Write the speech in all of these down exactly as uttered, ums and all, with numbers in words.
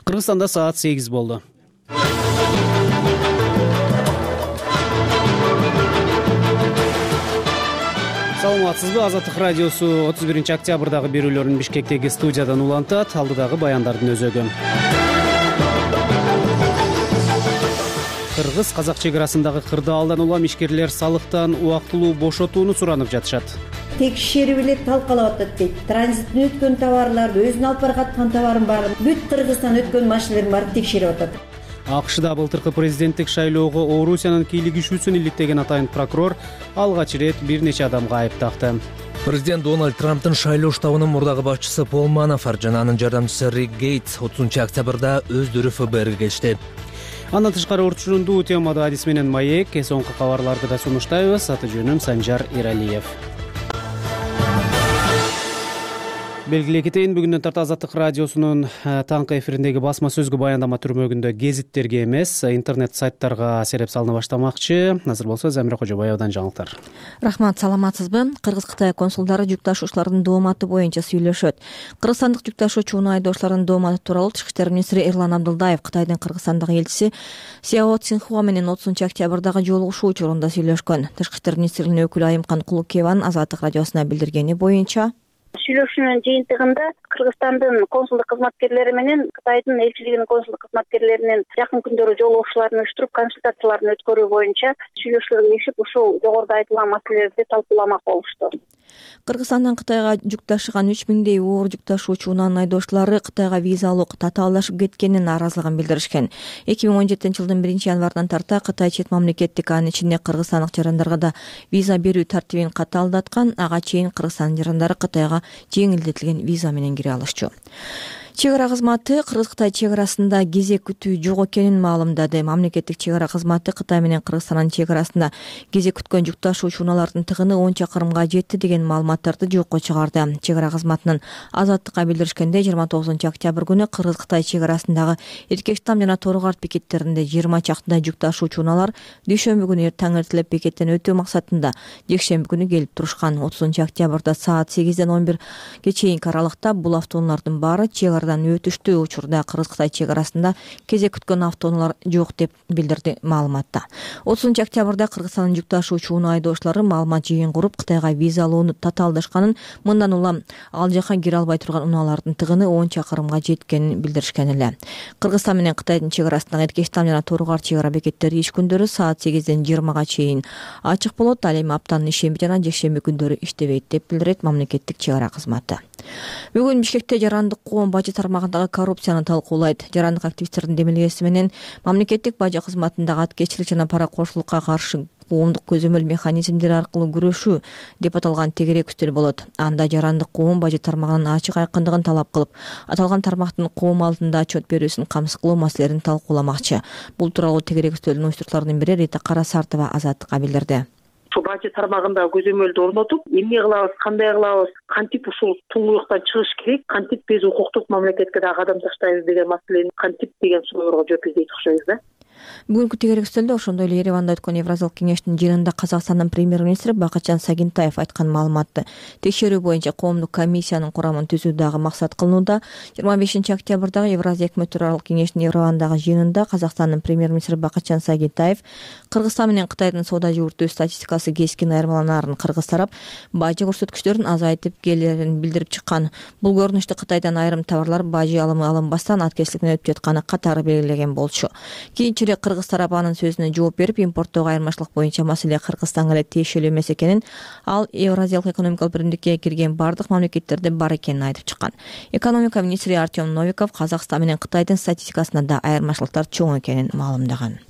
Кыргызстанда саат сегиз болду. Саламатсызбы? Азаттык радиосу отуз биринчи октябрдагы берүүлөрүн Бишкектеги студиядан улантат. Алдыдагы баяндардын өзөгү. Кыргыз-казак чек арасындагы кырдаалдан улам ишкерлер салыктан убактылуу бошотууну суранып жатышат. Текшерип эле талкалап атат дейт. Транзиттен өткөн товарларды, өзүнүн алып бараткан товарын баарын бүт Кыргызстан өткөн машиналердин баарын текшерип атат. АКШда былтыркы президенттик шайлоого Орусиянын кийлигишүүсүн иликтеген атайын прокурор алгач ирет бир нече адамга айып такты. Президент Дональд Трамптын шайлоо штабынын мурдагы башчысы Пол Манафорт жана анын жардамчысы Рик Гейтс отузунчу октябрда өздөрү эф бэ эрге келишти. Андан тышкары урчундуу темада адис менен маек, соңку кабарларды да сунуштайбыз. Аты жөнүм Санжар Иралиев. Белгилей кетейин, бүгүндөн тарта Азаттык радиосунун таңкы эфириндеги басма сөзгө баяндама түрмөгүндө гезиттерге эмес, интернет сайттарга сереп салына баштамакчы. Азыр болсо Замира Кожобаевадан жаңылыктар. Рахмат, саламатсызбы? Кыргыз-Кытай консулдары жүк ташуучулардын дооматы боюнча сүйлөшөт. Кыргызстандык жүк ташуучу унаа айдоочулардын дооматы тууралуу Тышкы иштер министри Эрлан Абдылдаев Кытайдын Кыргызстандагы элчиси Сяо Цинхуа менен отузунчу октябрдагы жолугушуу учурунда сүйлөшкөн. Тышкы иштер министринин өкүлү Айымкан Кулукееванын Азаттык радиосуна билдиргени боюнча, сүйлөшүүнүн жыйынтыгында Кыргызстандын консулдук кызматкерлери менен Кытайдын элчилигинин консулдук кызматкерлеринин жакын күндөрү жолугушууларын уюштуруп, консультацияларын өткөрүү боюнча сүйлөшүүлөргө киришип, ушул жогоруда айтылган маселелерди талкууламак болушту. Кыргызстандан Кытайга жүк ташыган үч миңдей оор жүк ташуучу унаанын айдоочулары Кытайга виза алуу татаалдашып кеткенин нааразылыгын билдиришкен. эки миң он жетинчи жылдын биринчи январынан тарта Кытай чет мамлекеттик, анын ичинде кыргызстандык жарандарга да виза берүү тартибин катаалдаткан. Ага чейин Кыргызстандын жарандары Кытайга жеңилдетилген виза менен кире алышчу. Чек ара кызматы Кыргыз-Кытай чек арасында кезек күтүү жок экенин маалымдады. Мамлекеттик чек ара кызматы Кытай менен Кыргызстандын чек арасында кезек күткөн жүк ташуучу унаалардын тыгыны он чакырымга жетти деген маалыматтарды жокко чыгарды. Чек ара кызматынын Азаттыкка билдиришкенде, жыйырма тогузунчу октябрь күнү Кыргыз-Кытай чек арасындагы Эркештам жана Торгарт бекеттеринде жыйырма чакты жүк ташуучу унаалар дүйшөмбү күнү таң эртелеп бекеттен өтүү максатында жекшемби күнү келип турушкан. отузунчу октябрда саат сегизден он бирге чейинки аралыкта бул автоунаалардын баары чек өтүштүү. Учурда Кыргыз-Кытай чек арасында кезек күткөн автоунаалар жок деп билдирди маалыматта. отузунчу октябрда Кыргызстандын жүк ташуучу унаа айдоочулары маалымат жыйын куруп, Кытайга виза алууну татаалдашканын, мындан улам ал жака кире албай турган унаалардын тыгыны он чакырымга жеткенин билдиришкен эле. Кыргызстан менен Кытайдын чек арасындагы Эркештам жана Торгарт чек ара бекеттери иш күндөрү саат сегизден жыйырмага чейин ачык болот. Ал эми аптанын ишемби жана жекшемби күндөрү иштебейт деп билдирет мамлекеттик чек ара кызматы. Бүгүн Бишкекте жарандык коом бажы тармагындагы коррупцияны талкуулайт. Жарандык активисттердин демилгеси менен мамлекеттик бажы кызматындагы аткечилик жана паракорчулукка каршы коомдук көзөмөл механизмдери аркылуу күрөшүү деп аталган тегерек үстөл болот. Анда жарандык коом бажы тармагынын ачык айкындыгын талап кылып, аталган тармактын коом алдында отчет берүүсүн камсыз кылуу маселелерин талкууламакчы. Бул тууралуу тегерек үстөлдүн уюштуруучуларынын бири Рита Карасартова Азаттыкка билдирди. Бажы тармагында көзөмөлдү орнотуп, эмне кылабыз, кандай кылабыз, кантип ушул туңгуюктан чыгыш керек, кантип биз укуктук мамлекетке да кадам таштайбыз деген маселени кантип деген суроолорго жооп издейт окшойбуз да. Бүгүнкү тегерек үстөлдө ошондой эле Ереванда өткөн Евразиялык кеңештин жыйынында Казакстандын премьер-министри Бакытжан Сагинтаев айткан маалыматты текшерүү боюнча коомдук комиссиянын курамын түзүү дагы максат кылынууда. жыйырма бешинчи октябрдагы Евразия өкмөттөрү кеңешинин Еревандагы жыйынында Казакстандын премьер-министри Бакытжан Сагинтаев Кыргызстан менен Кытайдын соода жүгүртүү статистикасы кескин айырмаланаарын кыргыз тарап бажы көрсөткүчтөрүн азайтып келерин билдирип чыккан. Бул көрүнүштө Кытайдан айрым товарлар бажы алымы алынбастан аткечиликтен өтүп жатканы катары белгилеген болчу. Кийинчерээк Кыргыз тарап анын сөзүнө жооп берип, импорттогу айырмачылык боюнча маселе Кыргызстанга эле тиешелүү эмес экенин, ал Евразиялык экономикалык биримдикке кирген бардык мамлекеттерде бар экенин айтып чыккан. Экономика министри Артем Новиков Казакстан менен Кытайдын статистикасында да айырмачылыктар чоң экенин маалымдаган.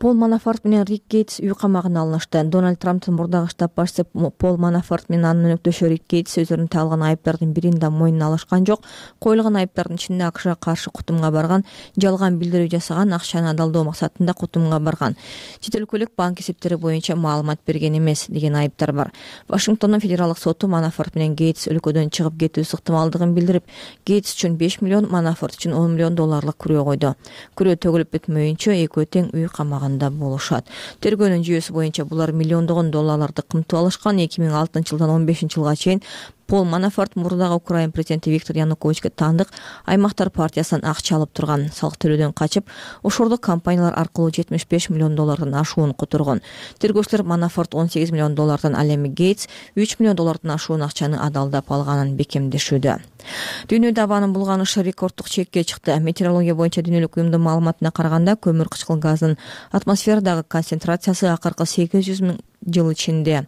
Пол Манафорт менен Рик Гейтс үй камагына алынышты. Дональд Трамптын мурдагы штаб башчысы Пол Манафорт менен анын өнөктөшү Рик Гейтс өздөрүнүн тагылган айыптардын бирин да мойнуна алышкан жок. Коюлган айыптардын ичинде АКШга каршы кутумга барган, жалган билдирүү жасаган, акчаны адалдоо максатында кутумга барган, чет өлкөлүк банк эсептери боюнча маалымат берген эмес деген айыптар бар. Вашингтондун федералдык соту Манафорт менен Гейтс өлкөдөн чыгып кетүүсү ыктымалдыгын билдирип, Гейтс үчүн беш миллион, Манафорт үчүн он миллион долларлык күрөө койду. Күрөө төгүлүп бүтмөйүнчө экөө тең үй камагында болушат. Тергөөнүн жүйөсү боюнча булар миллиондогон долларларды кымтып алышкан. эки миң алтынчы жылдан он бешинчи жылга чейин Пол Манафорт мурдагы Украин президенти Виктор Януковичке таандык Аймактар партиясынан акча алып турган, салык төлөөдөн качып, ошордук компаниялар аркылуу жетимиш беш миллион доллардан ашуун которгон. Тергөөчүлөр Манафорт он сегиз миллион доллардан, ал эми Гейтс үч миллион доллардан ашуун акчаны адалдап алганын бекемдешүүдө. Дүйнөдө абанын булганышы рекорддук чекке чыкты. Метеорология боюнча дүйнөлүк уюмдун маалыматына караганда, көмүр кычкыл газынын атмосферадагы концентрациясы акыркы сегиз жүз миң жыл ичинде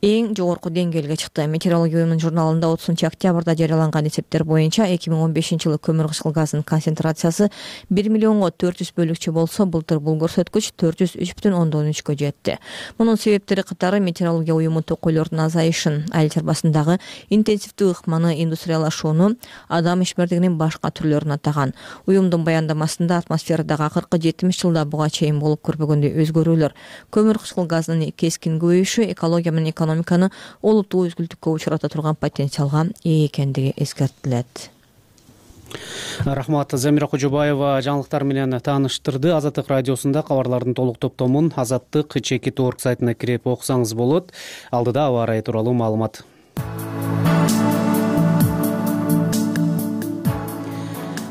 эң жогорку деңгээлге чыкты. Метеорология уюмунун журналында отузунчу октябрда жарыяланган эсептер боюнча эки миң он бешинчи жылы көмүр кычкыл газынын концентрациясы бир миллионго төрт жүз бөлүкчө болсо, былтыр бул көрсөткүч төрт жүз үч бүтүн ондон үчкө жетти. Мунун себептери катары метеорология уюму токойлордун азайышын, айыл чарбасындагы интенсивдүү ыкманы, индустриялашууну, адам ишмердигинин башка түрлөрүн атаган. Уюмдун баяндамасында атмосферадагы акыркы жетимиш жылда буга чейин болуп көрбөгөндөй өзгөрүүлөр, көмүр кычкыл газынын кескин көбөйүшү экология менен экономиканы олуттуу өзгүлтүккө учурата турган потенциалга ээ экендиги эскертилет. Рахмат. Замира Кожобаева жаңылыктар менен тааныштырды. Азаттык радиосунда кабарлардын толук топтомун азаттык чекит точка орг сайтына кирип окусаңыз болот. Алдыда аба ырайы тууралуу маалымат.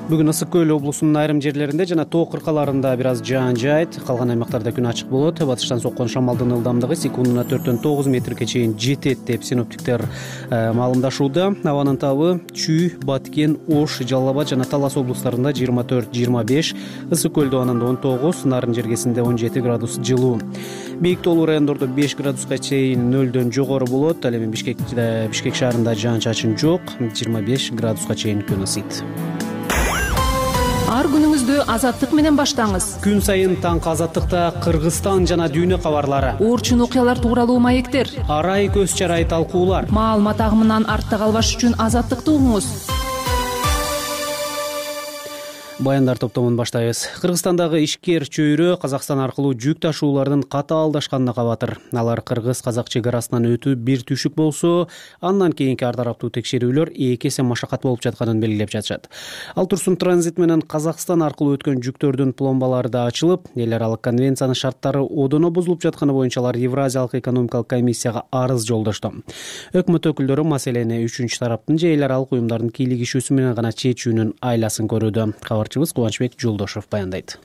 Бүгүн Ысык көл облусунун айрым жерлеринде жана тоо кыркаларында бир аз жаан жаайт. Калган аймактарда күн ачык болот. Батыштан соккон шамалдын ылдамдыгы секундуна төрттөн тогуз метрге чейин жетет деп синоптиктер маалымдашууда. Абанын табы Чүй, Баткен, Ош, Жалал Абад жана Талас облустарында жыйырма төрт жыйырма беш, Ысык көл абанында он тогуз, Нарын жергесинде он жети градус жылуу. Бийик тоолуу райондордо беш градуска чейин нөлдөн жогору болот. Ал эми Бишкекте, Бишкек шаарында жаан-чачын жок, жыйырма беш градуска чейин күн ысыйт. Ар күнүңүздү азаттык менен баштаңыз. Күн сайын таңкы азаттыкта Кыргызстан жана дүйнө кабарлары, Оорчун окуялар тууралуу маектер, арай көз чарай талкуулар. Маалымат агымынан артта калбаш үчүн азаттыкты угуңуз. Баяндар топтомун баштайбыз. Кыргызстандагы ишкер чөйрө Казакстан аркылуу жүк ташуулардын катаалдашканына кабатыр. Алар кыргыз-казак чек арасынан өтүү бир түшүк болсо, андан кийинки ар тараптуу текшерүүлөр эки эсе машакат болуп жатканын белгилеп жатышат. Ал турсун транзит менен Казакстан аркылуу өткөн жүктөрдүн пломбалары да ачылып, эл аралык конвенциянын шарттары одоно бузулуп жатканы боюнча алар Евразиялык экономикалык комиссияга арыз жолдошту. Өкмөт өкүлдөрү маселени үчүнчү тараптын же эл аралык уюмдардын кийлигишүүсү менен гана чечүүнүн айласын көрүүдө. Кабарчыбыз Кубанычбек Жолдошов баяндайт.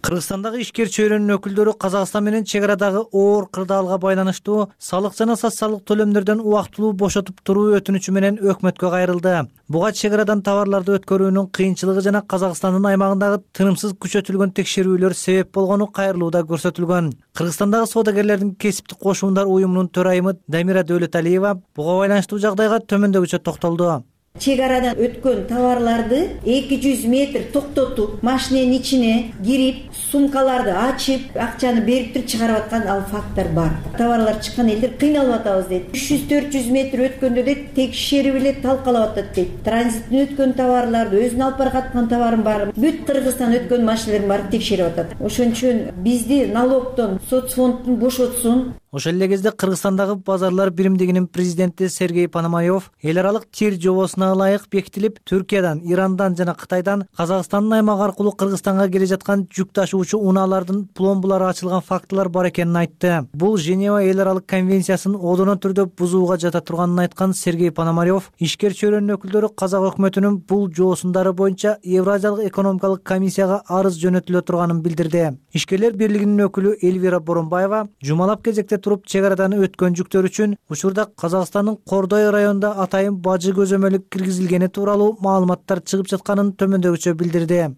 Кыргызстандагы ишкер чөйрөнүн өкүлдөрү Казакстан менен чек арадагы оор кырдаалга байланыштуу салык жана социалдык төлөмдөрдөн убактылуу бошотуп туруу өтүнүчү менен өкмөткө кайрылды. Буга чек арадан товарларды өткөрүүнүн кыйынчылыгы жана Казакстандын аймагындагы тынымсыз күчөтүлгөн текшерүүлөр себеп болгону кайрылууда көрсөтүлгөн. Кыргызстандагы соодагерлердин кесиптик кошуундар уюмунун төрайымы Дамира Дөөлөталиева буга байланыштуу жагдайга төмөндөгүчө токтолду. Чек арадан өткөн товарларды эки жүз метр токтотуп, машиненин ичине кирип, сумкаларды ачып, акчаны берип туруп чыгарып аткан ал факттар бар. Товарлар чыккан элдер кыйналып атабыз дейт. үч жүз төрт жүз метр өткөндө дейт, текшерип эле талкалап атат дейт. Транзиттен өткөн товарларды, өзүнүн алып бараткан товарын баарын бүт Кыргызстан өткөн машиналерин баарын текшерип атат. Ошон үчүн бизди налогдон, соцфонддон бошотсун. Ошол эле кезде Кыргызстандагы базарлар биримдигинин президенти Сергей Пономарев эл аралык тир жобосуна ылайык бекитилип, Түркиядан, Ирандан жана Кытайдан Казакстандын аймагы аркылуу Кыргызстанга келе жаткан жүк ташуучу унаалардын пломбалары ачылган фактылар бар экенин айтты. Бул Женева эл аралык конвенциясын одоно түрдө бузууга жата турганын айткан Сергей Пономарев, ишкер чөйрөнүн өкүлдөрү казак өкмөтүнүн бул жоосундары боюнча Евразиялык экономикалык комиссияга арыз жөнөтүлө турганын билдирди. Ишкерлер бирлигинин өкүлү Эльвира Боронбаева жумалап кезекте туруп чек арадан өткөн жүктөр үчүн учурда Казакстандын Кордой районунда атайын бажы көзөмөлү киргизилгени тууралуу маалыматтар чыгып жатканын төмөндөгүчө билдирди.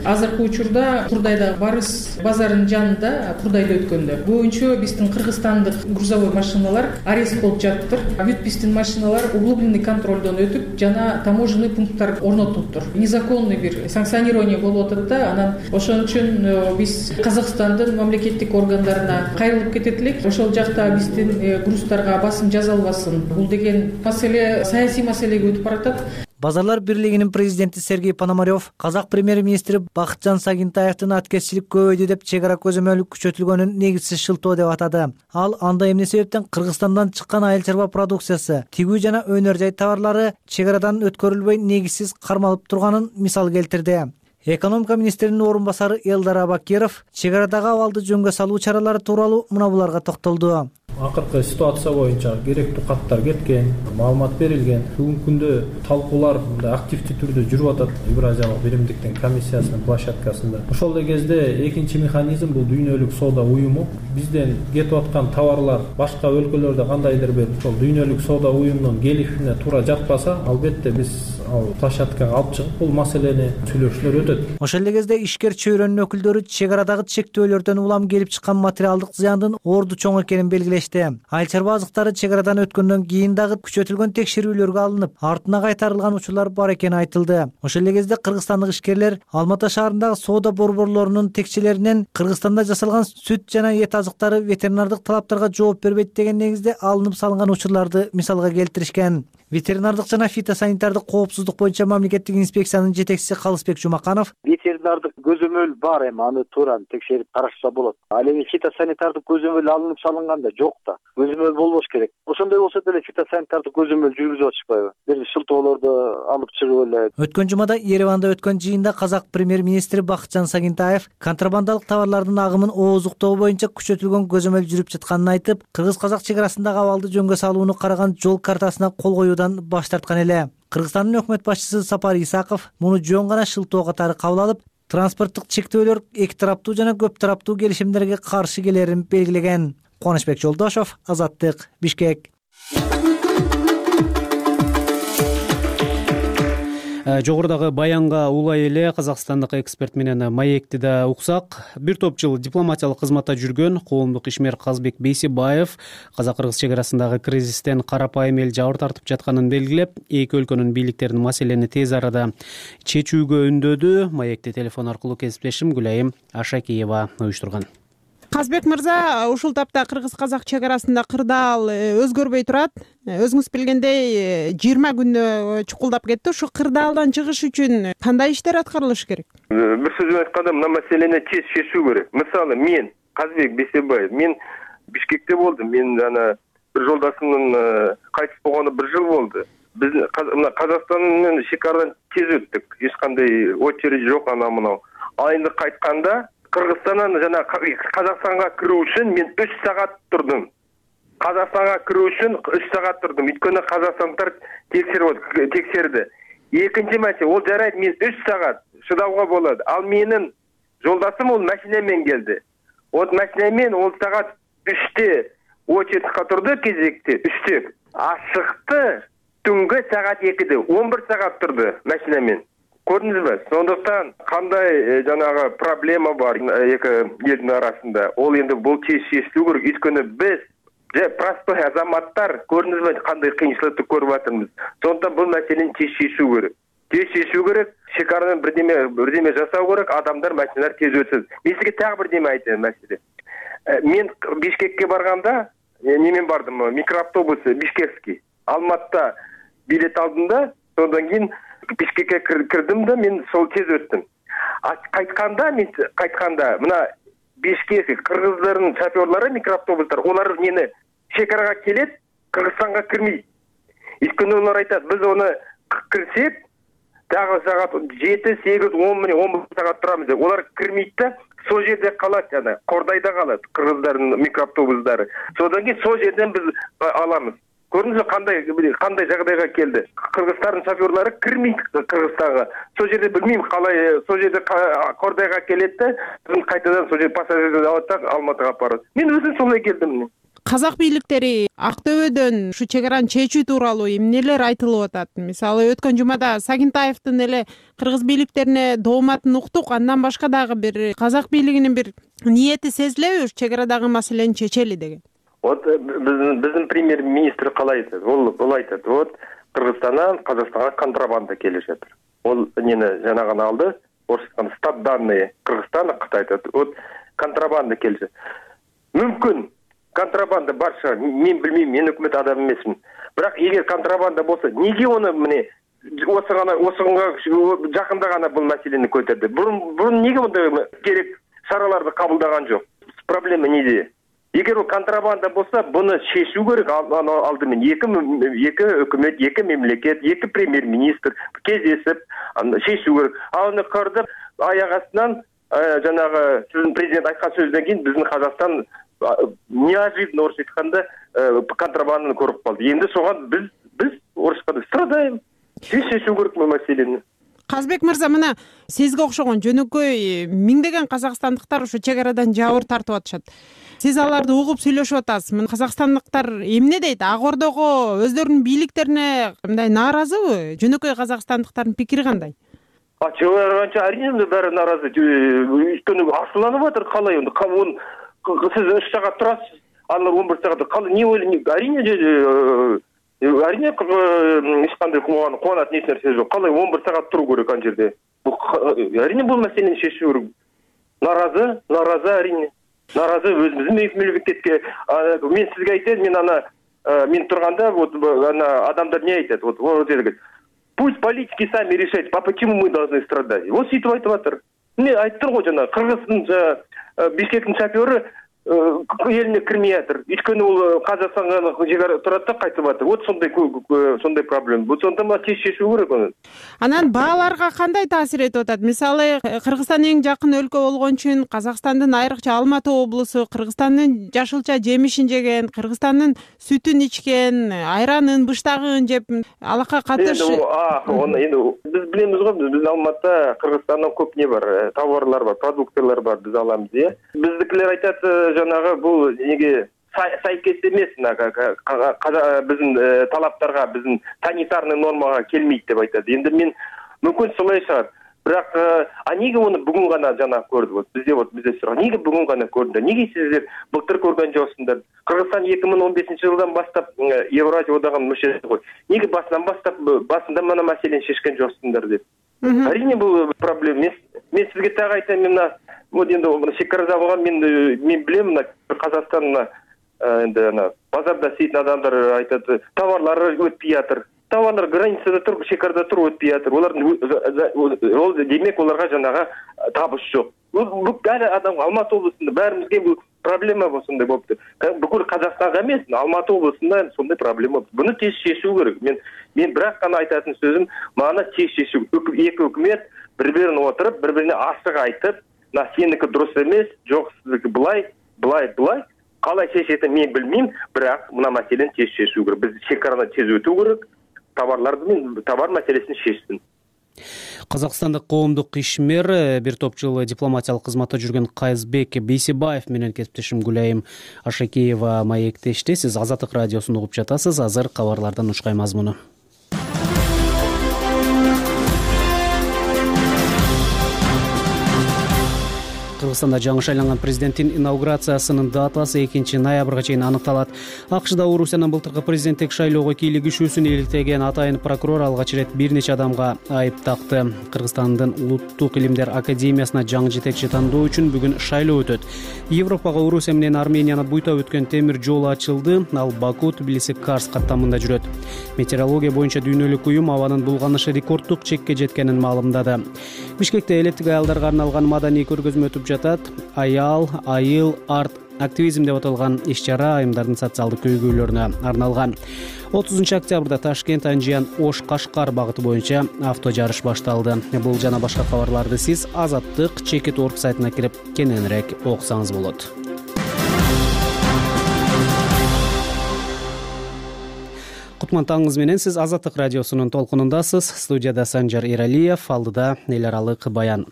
Азыркы учурда Курдайдагы Барыс базарынын жанында, Курдайда өткөндө боюнча биздин кыргызстандык грузовой машиналар арест болуп жатыптыр. Бүт биздин машиналар углубленный контролдон өтүп, жана таможенный пункттар орнотулуптур. Незаконный бир санкционирование болуп атат да, анан ошон үчүн биз Казакстандын мамлекеттик органдарына кайрылып кетет элек. Ошол жакта биздин груздарга басым жазалбасын. Бул деген маселе саясий маселеге өтүп баратат. Базарлар бирлигинин президенти Сергей Пономарев казак премьер-министри Бакытжан Сагынтаевдин аткезчилик көбөйдү деп чек ара көзөмөлү күчөтүлгөнүн негизсиз шылтоо деп атады. Ал анда эмне себептен Кыргызстандан чыккан айыл чарба продукциясы, тигүү жана өнөр жай товарлары чек арадан өткөрүлбөй негизсиз кармалып турганын мисал келтирди. Экономика министринин орун басары Элдар Абакиров чек арадагы абалды жөнгө салуу чаралары тууралуу мына буларга токтолду. акыркы ситуация боюнча керектүү каттар кеткен, маалымат берилген. Бүгүнкү күндө талкуулар мындай активдүү түрдө жүрүп атат Евразиялык биримдиктин комиссиясынын площадкасында. Ошол эле кезде экинчи механизм бул дүйнөлүк соода уюму. Бизден кетип аткан товарлар башка өлкөлөрдө кандайдыр бир ошол дүйнөлүк соода уюмунун келишимине туура жатпаса, албетте биз ал площадкага алып чыгып бул маселени сүйлөшүүлөр өтөт. Ошол эле кезде ишкер чөйрөнүн өкүлдөрү чек арадагы чектөөлөрдөн улам келип чыккан материалдык зыяндын орду чоң экенин белгилешти. Айыл чарба азыктары чек арадан өткөндөн кийин дагы күчөтүлгөн текшерүүлөргө алынып, артына кайтарылган учурлар бар экени айтылды. Ошол эле кезде кыргызстандык ишкерлер Алматы шаарындагы соода борборлорунун текчелеринен Кыргызстанда жасалган сүт жана эт азыктары ветеринардык талаптарга жооп бербейт деген негизде алынып салынган учурларды мисалга келтиришкен. Ветеринардык жана фитосанитардык коопсуздук боюнча мамлекеттик инспекциянын жетекчиси Калысбек Жумаканов: ветеринардык көзөмөл бар, эми аны туура текшерип карашса болот. Ал эми фитосанитардык көзөмөл алынып салынганда жок да. Көзөмөл болбош керек. Ошондой болсо деле фитосанитардык көзөмөл жүргүзүп атышпайбы? Бир шылтоолорду алып чыгып эле. Өткөн жумада Ереванда өткөн жыйында казак премьер-министри Бакытжан Сагынтаев контрабандалык товарлардын агымын ооздуктоо боюнча күчөтүлгөн көзөмөл жүрүп жатканын айтып, кыргыз-казак чек арасындагы абалды жөнгө салууну караган жол картасына кол коюудан баш тарткан эле. Кыргызстандын өкмөт башчысы Сапар Исаков муну жөн гана шылтоо катары кабыл алып, транспорттук чектөөлөр эки тараптуу жана көп тараптуу келишимдерге каршы келерин белгилеген. Кубанычбек Жолдошов, Азаттык, Бишкек. Жогорудагы баянга улай эле казакстандык эксперт менен маекти да уксак. Бир топ жыл дипломатиялык кызматта жүргөн коомдук ишмер Казбек Бейсебаев казак-кыргыз чек арасындагы кризистен карапайым эл жабыр тартып жатканын белгилеп, эки өлкөнүн бийликтерин маселени тез арада чечүүгө үндөдү. Маекти телефон аркылуу кесиптешим Гүлайым Ашакиева уюштурган. Казбек мырза, ушул тапта кыргыз-казак чек арасында кырдаал өзгөрбөй турат. Өзүңүз билгендей жыйырма күндө чукулдап кетти. Ушу кырдаалдан чыгыш үчүн кандай иштер аткарылышы керек? Бир сөз менен айтканда, мына маселени тез чечүү керек. Мисалы, мен Казбек Бейсебаев, мен Бишкекте болдум. Мен жана бир жолдашымдын кайтып болгону бир жыл болду. Биз мына Казакстан менен чек арадан тез өттүк. Эч кандай очередь жок, ана мына. А энди кайтканда Кыргызстандан жана Казакстанга кирүү үчүн мен үч саат турдум. Казакстанга кирүү үчүн үч саат турдум. Өткөндө казакстандыктар текшерип текшерди. Экинчи маселе, ол жарайт, мен үч саат шыдауга болот. Ал менин жолдашым ол машина менен келди. Вот машина менен ол саат үчтө очередька турду, кезекте үчтө. А чыкты түнгө саат экиде, он бир саат турду машина менен. Көрдүңүзбү? Сондуктан кандай жанагы проблема бар эки элдин арасында. Ол энди бул чечилүү керек. Өткөндө биз же простой азаматтар көрдүңүзбү кандай кыйынчылыкты көрүп атабыз. Сондуктан бул маселени чечишүү керек. Тез чечүү керек. Чек арадан бирдеме бирдеме жасау керек. Адамдар, машиналар тез өтсүн. Мен сизге так бирдеме айтайын маселе. Мен Бишкекке барганда, немен бардым, микроавтобус Бишкекский. Алматыда билет алдым да, содан кийин Бишкекке кирдим да, мен сол тез өттүм. Кайтканда, мен кайтканда, мына Бишкек кыргыздардын шофёрлору микроавтобустар, олар мени чек арага келет, Кыргызстанга кирмейт. Өйткөнү олар айтат, биз оны кирсек, дагы саат жети, сегиз, он менен он бир саат турамыз деп. Олар кирмейт да, сол жерде калат жана, Кордайда калат кыргыздардын микроавтобустары. Содан кийин сол жерден биз аламыз. Көрдүңүзбү кандай кандай жагдайга келди? Кыргыздардын шофёрлору кирмейт Кыргызстанга. Сол жерде билмейм калай, сол жерде Кордайга келет да, биз кайтадан сол жерде пассажирлерди алат да Алматыга алып барат. Мен өзүм солай келдим. Казак бийликтери Актөбөдөн ушу чек араны чечүү тууралуу эмнелер айтылып атат? Мисалы, өткөн жумада Сагынтаевдин эле кыргыз бийликтерине дооматын уктук, андан башка дагы бир казак бийлигинин бир ниети сезилеби ушу чек арадагы маселени чечели деген? Вот биздин биздин премьер-министр калай айтат? Ол ол айтат, вот Кыргызстандан Казакстанга контрабанда келип жатыр. Ол нени жана гана алды, орусча стат данные Кыргызстан, Кытай айтат. Вот контрабанда келип жатыр. Мүмкүн контрабанда бар шығар, мен билмейм, мен өкмөт адам эмесмин. Бирок эгер контрабанда болсо, неге оны міне осы гана осыга жакында гана бул маселени көтөрдү? Бурун бурун неге мындай керек чараларды кабылдаган жок? Проблема неде? Эгер ол контрабанда болсо, буну чечүү керек. Алдымен эки эки өкмөт, эки мемлекет, эки премьер-министр кездешип, чечүү керек. А аны көрдүп, аяк астынан жанагы сиздин президент айткан сөздөн кийин биздин Казакстан неожиданно орусча айтканда контрабанданы көрүп калды. Эми согон биз биз орусча страдаем. Тез чечүү керек бул маселени. Казбек мырза, мына сизге окшогон жөнөкөй миңдеген казакстандыктар ушу чек арадан жабыр тартып атышат. Сиз аларды угуп сүйлөшүп атасыз. Мына казакстандыктар эмне дейт? Ак Ордого өздөрүнүн бийликтерине мындай нааразыбы? Жөнөкөй казакстандыктардын пикири кандай? А чыгарганча арийне баары нааразы. Өйткөнү ачууланып атат. Калай онда? Сиз үч саат турасыз, алар он бир саат. Калай не ойлойт? Арийне Арийне эч кандай кубанат эч нерсе жок. Калай он бир саат туруу керек ан жерде. Арийне бул маселени чечүү керек. Нааразы, нааразы арийне. Нааразы өзүбүздүн мемлекетке. Мен сизге айтайын, мен ана мен турганда вот ана адамдар не айтат? Вот вот деди. Пусть политики сами решают, а почему мы должны страдать? Вот ситип айтып атыр. Мен айттым го жана Кыргыздын Бишкектин шофёру элине кирмей атыр. Өйткөнү бул Казакстанга жегар турат да кайтып атыр. Вот сондай сондай проблема. Бул сонда ма тез чечүү керек аны. Анан бааларга кандай таасир этип атат? Мисалы, Кыргызстан эң жакын өлкө болгон үчүн Казакстандын айрыкча Алматы облусу Кыргызстандын жашылча жемишин жеген, Кыргызстандын сүтүн ичкен, айранын, быштагын жеп, алакка катыш. А, оны эми биз билебиз го, биз Алматыда Кыргызстандан көп не бар, товарлар бар, продукттар бар, биз аламыз, э. Биздикилер айтат, жанагы бул неге сайкес эмес, биздин талаптарга, биздин санитарный нормага келмейт деп айтат. Эми мен мүмкүн солай чыгат. Бирок а неге муну бүгүн гана жана көрдүк? Вот бизде вот бизде сурак, неге бүгүн гана көрдүңөр? Неге сиздер былтыр көргөн жоксуңдар? Кыргызстан эки миң он бешинчи жылдан баштап Евразия одагынын мүчөсү го. Неге басынан баштап басында мына маселени чечкен жоксуңдар деп. Арийне бул проблема эмес. Мен сизге так айтайын, мына вот енді шекарада болған мен мен білемін, мына Қазақстанна енді ана базарда істейтін адамдар айтады, товарлары өтпей жатыр. Товарлар границада тұр, шекарада тұр, өтпей жатыр. Олардың ол демек оларға жаңағы табыс жоқ. Бұл әлі адам Алматы облысында бәрімізге бұл проблема сондай болып тұр. Бүкіл Қазақстанға емес, Алматы облысында сондай проблема. Бұны тез шешу керек. Мен мен бірақ қана айтатын сөзім, мана тез шешу. Екі үкімет бір-бірін отырып, бір-біріне ашық айтып, на сенікі дұрыс емес, жоқ сіздікі былай, былай, былай. Қалай шешетін мен білмеймін, бірақ мына мәселені тез шешу керек. Біз шекараны тез өту керек, товарларды мен товар мәселесін шешсін. Казакстандык коомдук ишмер, бир топ жыл дипломатиялык кызматта жүргөн Кайызбек Бейсебаев менен кесиптешим Гүлайым Ашакеева маектешти. Сиз Азаттык радиосун угуп жатасыз. Азыр кабарлардан учкай мазмуну. Кыргызстанда жаңы шайланган президенттин инаугурациясынын датасы экинчи ноябрга чейин аныкталат. АКШда Орусиянын былтыркы президенттик шайлоого кийлигишүүсүн иликтеген атайын прокурор алгач ирет бир нече адамга айып такты. Кыргызстандын Улуттук илимдер академиясына жаңы жетекчи тандоо үчүн бүгүн шайлоо өтөт. Европага Орусия менен Арменияны буйтап өткөн темир жол ачылды. Ал Баку, Тбилиси, Карс каттамында жүрөт. Метеорология боюнча дүйнөлүк уюм абанын булганышы рекорддук чекке жеткенин маалымдады. Бишкекте элеттик аялдарга арналган маданий көргөзмө өтүп жатат. Аял, айыл, арт активизм деп аталган иш-чара айымдардын социалдык көйгөйлөрүнө арналган. отузунчу октябрда Ташкент, Анжиян, Ош, Кашкар багыты боюнча авто жарыш башталды. Бул жана башка кабарларды сиз Азаттык чекит точка орг сайтына кирип кененирээк окусаңыз болот. Кутман таңыңыз менен, сиз Азаттык радиосунун толкунундасыз. Студияда Санжар Эралиев, алдыда эл аралык баян.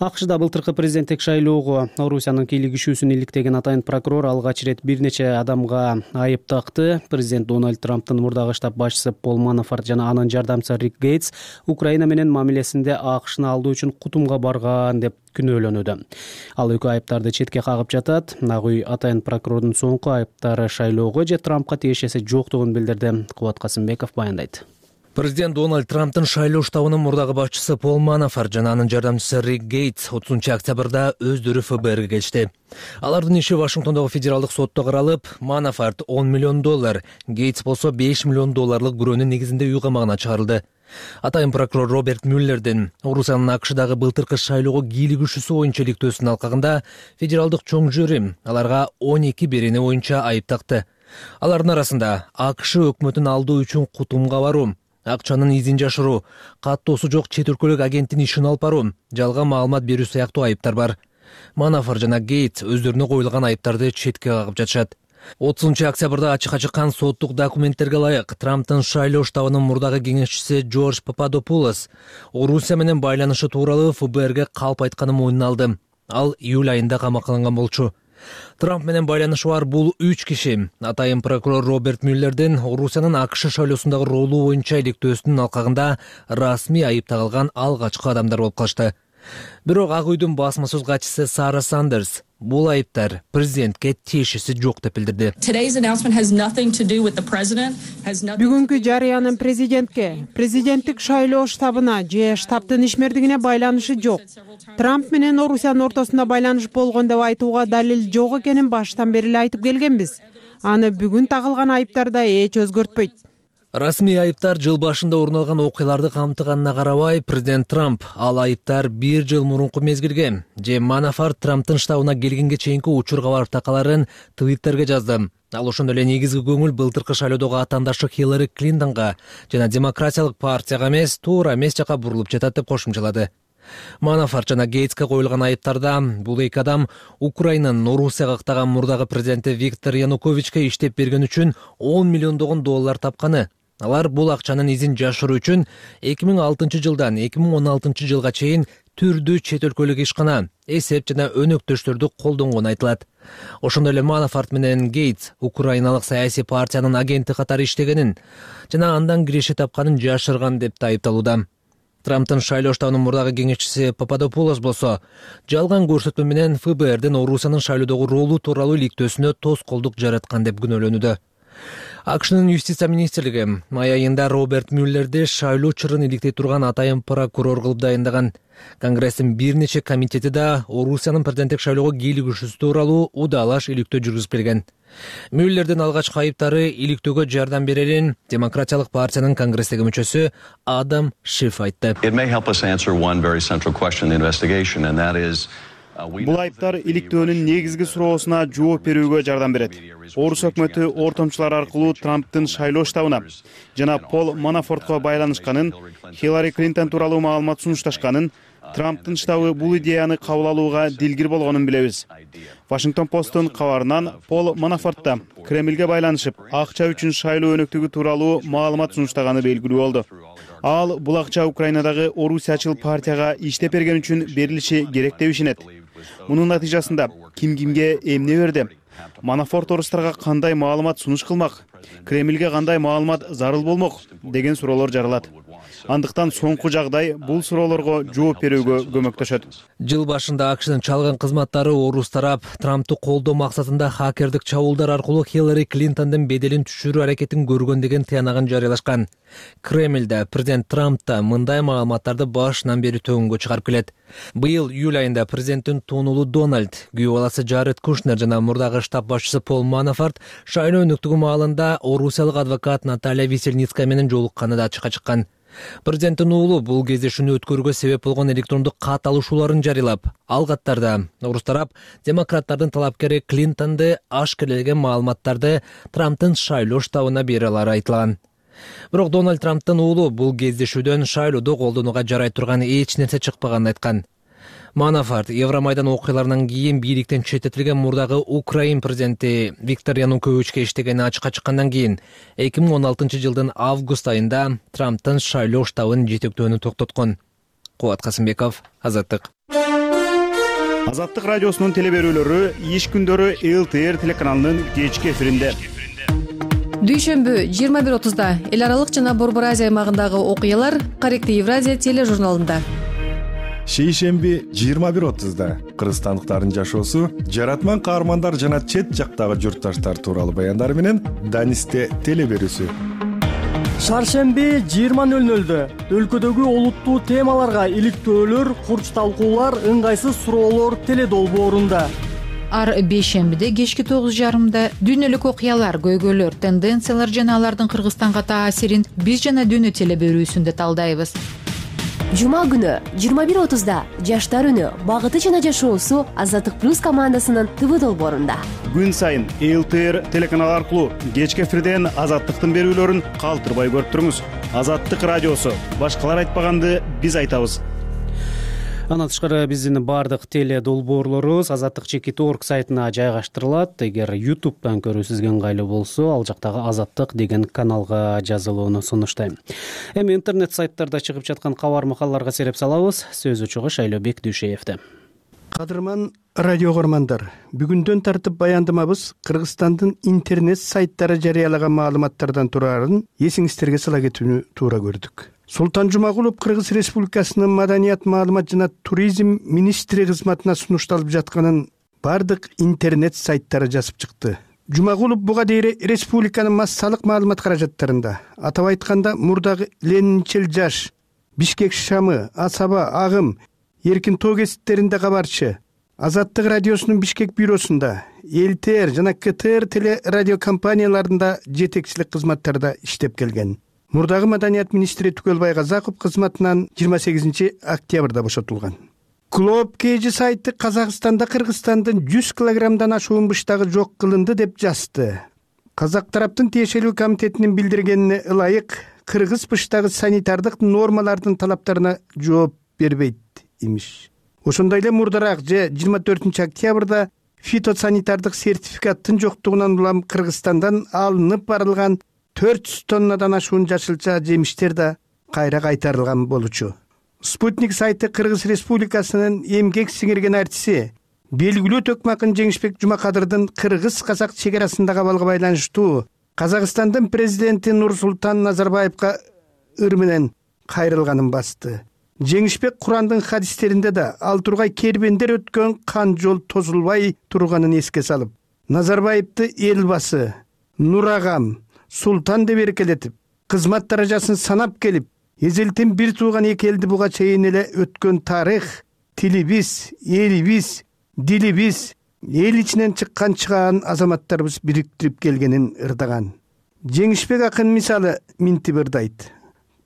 АКШда былтыркы президенттик шайлоого Орусиянын кийлигишүүсүн иликтеген атайын прокурор алгач ирет бир нече адамга айып такты. Президент Дональд Трамптын мурдагы штаб башчысы Пол Манафорт жана анын жардамчысы Рик Гейтс Украина менен мамилесинде АКШны алдоо үчүн кутумга барган деп күнөөлөнүүдө. Ал экөө айыптарды четке кагып жатат. Ак үй атайын прокурордун соңку айыптары шайлоого же Трампка тиешеси жоктугун билдирди. Кубат Касымбеков баяндайт. Президент Дональд Трамптын шайлоо штабынын мурдагы башчысы Пол Манафорт жана анын жардамчысы Рик Гейтс отузунчу октябрда өздөрү эф бэ эрге келишти. Алардын иши Вашингтондогу федералдык сотто каралып, Манафорт он миллион доллар, Гейтс болсо беш миллион долларлык бирөөнүн негизинде үй камагына чыгарылды. Атайын прокурор Роберт Мюллердин Орусиянын АКШдагы былтыркы шайлоого кийлигишүүсү боюнча иликтөөсүнүн алкагында федералдык чоң жюри аларга он эки берене боюнча айып такты. Алардын арасында АКШ өкмөтүн алдоо үчүн кутумга баруу, акчанын изин жашыруу, каттоосу жок чет өлкөлүк агенттин ишин алып баруу, жалган маалымат берүү сыяктуу айыптар бар. Манафор жана Гейтс өздөрүнө коюлган айыптарды четке кагып жатышат. отузунчу октябрда ачыкка чыккан соттук документтерге ылайык Трамптын шайлоо штабынын мурдагы кеңешчиси Джордж Пападопулос Орусия менен байланышы тууралуу эф бэ эрге калп айтканын мойнуна алды. Ал июль айында камакаланган болчу. Трамп менен байланышы бар бул үч киши атайын прокурор Роберт Мюллердин Орусиянын АКШ шайлоосундагы ролу боюнча иликтөөсүнүн алкагында расмий айып тагылган алгачкы адамдар болуп калышты. Бирок Ак үйдүн басма сөз катчысы Сара Сандерс бул айыптар президентке тиешеси жок деп билдирди. Бүгүнкү жарыянын президентке, президенттик шайлоо штабына же штабтын ишмердигине байланышы жок. Трамп менен Орусиянын ортосунда байланыш болгон деп айтууга далил жок экенин баштан бери эле айтып келгенбиз. Аны бүгүн тагылган айыптарда эч өзгөртпөйт. Расмий айыптар жыл башында орун алган окуяларды камтыганына карабай, президент Трамп ал айыптар бир жыл мурунку мезгилге же Манафорт Трамптын штабына келгенге чейинки учур кабар такаларын Твиттерге жазды. Ал ошондой эле негизги көңүл былтыркы шайлоодогу атаандашы Хиллари Клинтонго жана демократиялык партияга эмес, туура эмес жака бурулуп жатат деп кошумчалады. Манафорт жана Гейтске коюлган айыптарда бул эки адам Украинанын Орусияга ыктаган мурдагы президенти Виктор Януковичке иштеп берген үчүн он миллиондогон доллар тапканы. Алар бул акчанын изин жашыруу үчүн эки миң алтынчы жылдан эки миң он алтынчы жылга чейин түрдүү чет өлкөлүк ишкана, эсеп жана өнөктөштөрдү колдонгону айтылат. Ошондой эле Манафорт менен Гейтс Украиналык саясий партиянын агенти катары иштегенин жана андан киреше тапканын жашырган деп айыпталууда. Трамптын шайлоо штабынын мурдагы кеңешчиси Пападопулос болсо жалган көрсөтмө менен эф бэ эрдин Орусиянын шайлоодогу ролу тууралуу иликтөөсүнө тоскоолдук жараткан деп күнөөлөнүүдө. АКШнын юстиция министрлиги май айында Роберт Мюллерди шайлоо чырын иликтей турган атайын прокурор кылып дайындаган. Конгресстин бир нече комитети да Орусиянын президенттик шайлоого кийлигишүүсү тууралуу удаалаш иликтөө жүргүзүп келген. Мюллердин алгачкы айыптары иликтөөгө жардам берерин демократиялык партиянын конгресстеги мүчөсү Адам Шиф айтты. Бул айыптар иликтөөнүн негизги суроосуна жооп берүүгө жардам берет. Орус өкмөтү ортомчулар аркылуу Трамптын шайлоо штабына жана Пол Манафортко байланышканын, Хиллари Клинтон тууралуу маалымат сунушташканын, Трамптын штабы бул идеяны кабыл алууга дилгир болгонун билебиз. Вашингтон посттун кабарынан Пол Манафортта Кремлге байланышып, акча үчүн шайлоо өнөктүгү тууралуу маалымат сунуштаганы белгилүү болду. Ал бул акча Украинадагы Орусиячыл партияга иштеп берген үчүн берилиши керек деп ишенет. Мунун натыйжасында ким кимге эмне берди? Манафорт орустарга кандай маалымат сунуш кылмак? Кремлге кандай маалымат зарыл болмок деген суроолор жаралат. Андыктан соңку жагдай бул суроолорго жооп берүүгө көмөктөшөт. Жыл башында АКШнын чалган кызматтары орус тарап Трамптты колдоо максатында хакердик чабуулдар аркылуу Хиллари Клинтондун беделин түшүрүү аракетин көргөн деген тыянагын жарыялашкан. Кремлде президент Трампта мындай маалыматтарды башынан бери төгүнгө чыгарып келет. Быйыл июль айында президенттин туунулу Дональд, күйөө баласы Джаред Кушнер жана мурдагы штаб башчысы Пол Манафорт шайлоо өнөктүгү маалында орусиялык адвокат Наталья Весельницкая менен жолукканы да ачыкка чыккан. Президенттин уулу бул кездешүүнү өткөрүүгө себеп болгон электрондук кат алышууларын жарыялап, ал каттарда орус тарап демократтардын талапкери Клинтонду ашкерлеген маалыматтарды Трамптын шайлоо штабына бере алары айтылган. Бирок Дональд Трамптын уулу бул кездешүүдөн шайлоодо колдонууга жарай турган эч нерсе чыкпаганын айткан. Манафорт Евромайдан окуяларынан кийин бийликтен четтетилген мурдагы Украин президенти Виктор Януковичке иштегени ачыкка чыккандан кийин эки миң он алтынчы жылдын август айында Трамптын шайлоо штабын жетектөөнү токтоткон. Кубат Касымбеков, Азаттык. Азаттык радиосунун телеберүүлөрү иш күндөрү эл тэ эр телеканалынын кечки эфиринде. Дүйшөмбү жыйырма бир отузда эл аралык жана Борбор Азия аймагындагы окуялар Корректив Евразия тележурналында. Шейшемби жыйырма бир отузда кыргызстандыктардын жашоосу, жаратман каармандар жана чет жактагы журтташтар тууралуу баяндар менен Данисте телеберүүсү. Шаршемби жыйырма нөл нөлдө өлкөдөгү олуттуу темаларга иликтөөлөр, курч талкуулар, ыңгайсыз суроолор теледолбоорунда. Ар бейшембиде кечки тогуз жарымда дүйнөлүк окуялар, көйгөйлөр, тенденциялар жана алардын Кыргызстанга таасирин биз жана дүйнө телеберүүсүндө талдайбыз. Жума күнү жыйырма бир отузда жаштар үнү, багыты жана жашоосу Азаттык плюс командасынын ТВ долбоорунда. Күн сайын эл тэ эр телеканалы аркылуу кечки эфирден Азаттыктын берүүлөрүн калтырбай көрүп туруңуз. Азаттык радиосу, башкалар айтпаганды биз айтабыз. Андан тышкары биздин баардык теле долбоорлорубуз азаттык чекит точка орг сайтына жайгаштырылат. Эгер ютубтан көрүү сизге ыңгайлуу болсо, ал жактагы азаттык деген каналга жазылууну сунуштайм. Эми интернет сайттарда чыгып жаткан кабар макалаларга сереп салабыз. Сөз учугу Шайлообек Дүйшеевде. Кадырман радио көрмандар, бүгүндөн тартып баяндамабыз Кыргызстандын интернет сайттары жарыялаган маалыматтардан турарын эсиңиздерге сала кетүүнү туура көрдүк. Султан Жумагулов Кыргыз Республикасынын маданият, маалымат жана туризм министри кызматына сунушталып жатканын бардык интернет сайттары жазып чыкты. Жумагулов буга дейин республиканын массалык маалымат каражаттарында, атап айтканда мурдагы Ленинчил жаш, Бишкек шамы, Асаба, Агым, Эркин тоо кесиптеринде кабарчы, Азаттык радиосунун Бишкек бюросунда, эл-тэ эр жана ка тэ эр теле радио компанияларында жетекчилик кызматтарда иштеп келген. Мурдагы маданият министри Түгөлбай Казаков кызматынан жыйырма сегизинчи октябрда бошотулган. Клоп кж сайты Казакстанда Кыргызстандын жүз килограммдан ашуун быштагы жок кылынды деп жазды. Казак тараптын тиешелүү комитетинин билдиргенине ылайык кыргыз быштагы санитардык нормалардын талаптарына жооп бербейт имиш. Ошондой эле мурдараак же жыйырма төртүнчү октябрда фитосанитардык сертификаттын жоктугунан улам Кыргызстандан алынып барылган төрт жүз тоннадан ашуун жашылча жемиштер да кайра кайтарылган болчу. Спутник сайты Кыргыз Республикасынын эмгек сиңирген артиси белгилүү Төкмакын Жеңишбек Жумакадырдын кыргыз-казак чек арасындагы абалга байланыштуу Казакстандын президенти Нурсултан Назарбаевга ыр менен кайрылганын басты. Жеңишбек Курандын хадистеринде да ал тургай кербендер өткөн кан жол тозулбай турганын эске салып, Назарбаевди элбасы, Нурагам, Султан деп эркелетип, кызмат даражасын санап келип, эзелтин бир тууган эки элди буга чейин эле өткөн тарых, тилибиз, элибиз, дилибиз, эл ичинен чыккан чыгаан азаматтарыбыз бириктирип келгенин ырдаган. Жеңишбек акын мисалы минтип ырдайт.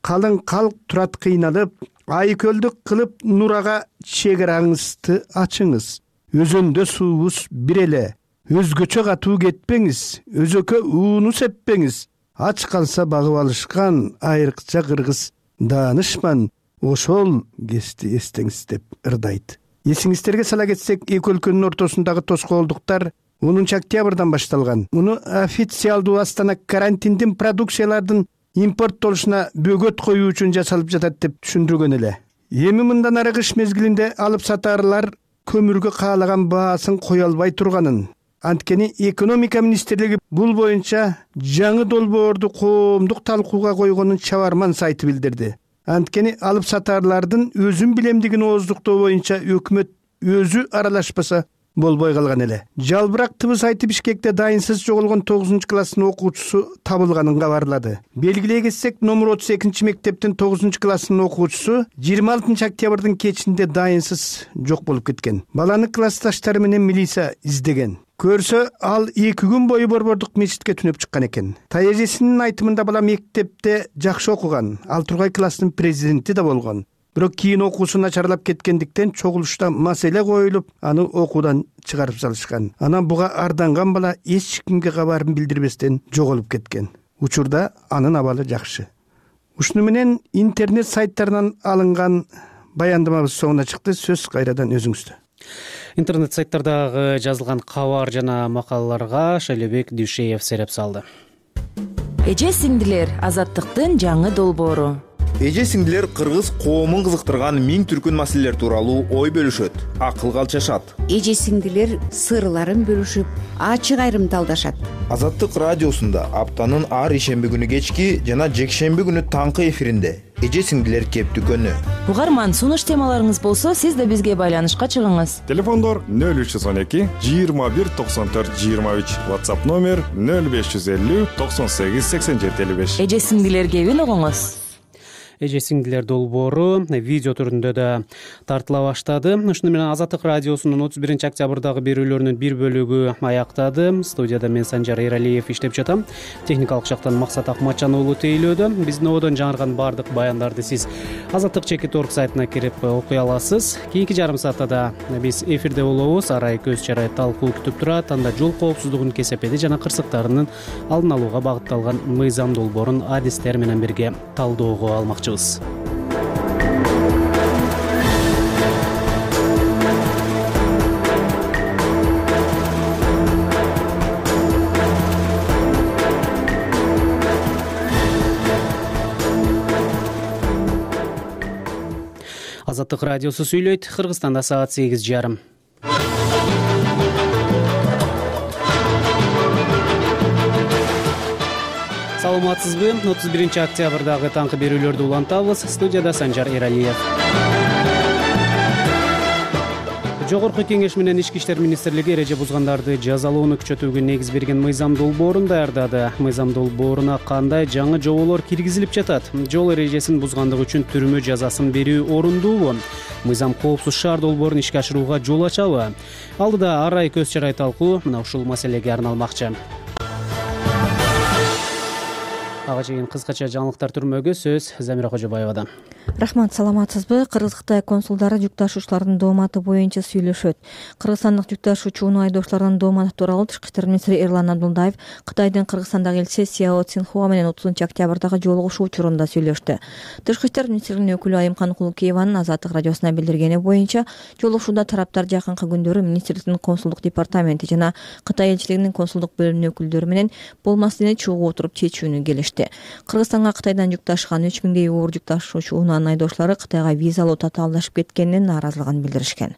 Калың калк турат кыйналып, айкөлдүк кылып Нурага чегераңызды ачыңыз. Өзөндө суубуз бир эле, өзгөчө катуу кетпеңиз, өзөкө ууну сеппеңиз. Ач калса багып алышкан айрыкча кыргыз даанышман, ошол кести эстеңиз деп ырдайт. Эсиңиздерге сала кетсек, эки өлкөнүн ортосундагы тоскоолдуктар онунчу октябрдан башталган. Муну официалдуу Астана карантиндин продукциялардын импорттолушуна бөгөт коюу үчүн жасалып жатат деп түшүндүргөн эле. Эми мындан ары кыш мезгилинде алып сатарлар көмүргө каалаган баасын кое албай турганын, анткени экономика министрлиги бул боюнча жаңы долбоорду коомдук талкууга койгонун чабарман сайты билдирди. Анткени алып сатарлардын өзүн билемдигин ооздуктоо боюнча өкмөт өзү аралашпаса болбой калган эле. Жалбырак ТВ сайты Бишкекте дайынсыз жоголгон тогузунчу класстын окуучусу табылганын кабарлады. Белгилей кетсек, номер отуз экинчи мектептин тогузунчу класстын окуучусу жыйырма алтынчы октябрдын кечинде дайынсыз жок болуп кеткен. Баланы классташтары менен милиция издеген. Көрсө, ал эки күн бою Борбордук мечитке түнөп чыккан экен. Таяжесинин айтымында бала мектепте жакшы окуган, ал тургай класстын президенти да болгон. Бирок кийин окуусу начарлап кеткендиктен чогулушта маселе коюлуп, аны окуудан чыгарып салышкан. Анан буга арданган бала эч кимге кабарын билдирбестен жоголуп кеткен. Учурда анын абалы жакшы. Ушуну менен интернет сайттарынан алынган баяндамабыз соңуна чыкты. Сөз кайрадан өзүңүздө. Интернет сайттардагы жазылган кабар жана макалаларга Шайлообек Дүйшеев сереп салды. Эже сиңдилер, азаттыктын жаңы долбоору. Эже сиңдилер кыргыз коомун кызыктырган миң түркүн маселелер тууралуу ой бөлүшөт, акылга алчашат. Эже сиңдилер сырларын бөлүшүп, ачык айрымталдашат. Азаттык радиосунда аптанын ар ишемби күнү кечки жана жекшемби күнү таңкы эфиринде эже сиңдилер кептүкөнү. Угарман, сунуш темаларыңыз болсо, сиз да бизге байланышка чыгыңыз. Телефондор нөл үч жүз он эки жыйырма бир токсон төрт жыйырма үч, WhatsApp номер нөл беш жүз элүү токсон сегиз сексен жети элүү беш. Эже сиңдилер кебин угуңуз. Эже сиңдилер долбоору видео түрүндө да тартыла баштады. Ушуну менен Азаттык радиосунун отуз биринчи октябрдагы берүүлөрүнүн бир бөлүгү аяктады. Студияда мен Санжар Эралиев иштеп жатам. Техникалык жактан Максат Акматжан уулу тейлөөдө. Биздин ободон жаңырган бардык баяндарды сиз азаттык чекит точка орг сайтына кирип окуй аласыз. Кийинки жарым саатта да биз эфирде болобуз. Арай көз чарай талкуу күтүп турат. Анда жол коопсуздугунун кесепети жана кырсыктарынын алдын алууга багытталган мыйзам долбоорун адистер менен бирге талдоого алмакчы. Азаттык радиосу сүйлөйт. Кыргызстанда саат сегиз жарым. Саламатсызбы? отуз биринчи октябрдагы таңкы берүүлөрдү улантабыз. Студияда Санжар Эралиев. Жогорку кеңеш менен Ички иштер министрлиги эреже бузгандарды жазалоону күчөтүүгө негиз берген мыйзам долбоорун даярдады. Мыйзам долбооруна кандай жаңы жоболор киргизилип жатат? Жол эрежесин бузгандык үчүн түрмө жазасын берүү орундуубу? Мыйзам коопсуз шаар долбоорун ишке ашырууга жол ачабы? Алдыда арай көз чарай талкуу мына ушул маселеге арналмакчы. Ага чейин кыскача жаңылыктар түрмөгө сөз Замира Кожобаевадан. Рахмат, саламатсызбы? Кыргыз-Кытай консулдары жүк ташуучулардын дооматы боюнча сүйлөшөт. Кыргызстандык жүк ташуучу унаа айдоочулардын дооматы тууралуу Тышкы иштер министри Эрлан Абдулдаев Кытайдын Кыргызстандагы элчиси Сяо Цинхуа менен отузунчу октябрдагы жолугушуу учурунда сүйлөштү. Тышкы иштер министрлигинин өкүлү Айымкан Кулукееванын Азаттык радиосуна билдиргени боюнча, жолугушууда тараптар жакынкы күндөрү министрликтин консулдук департаменти жана Кытай элчилигинин консулдук бөлүмүнүн өкүлдөрү менен бул маселени чогуу отуруп чечүүнү келишти. Кыргызстанга Кытайдан жүк ташыган үч миңдей оор жүк ташуучу унаанын айдоочулары Кытайга визалуу татаалдашып кеткенинен нааразылыгын билдиришкен.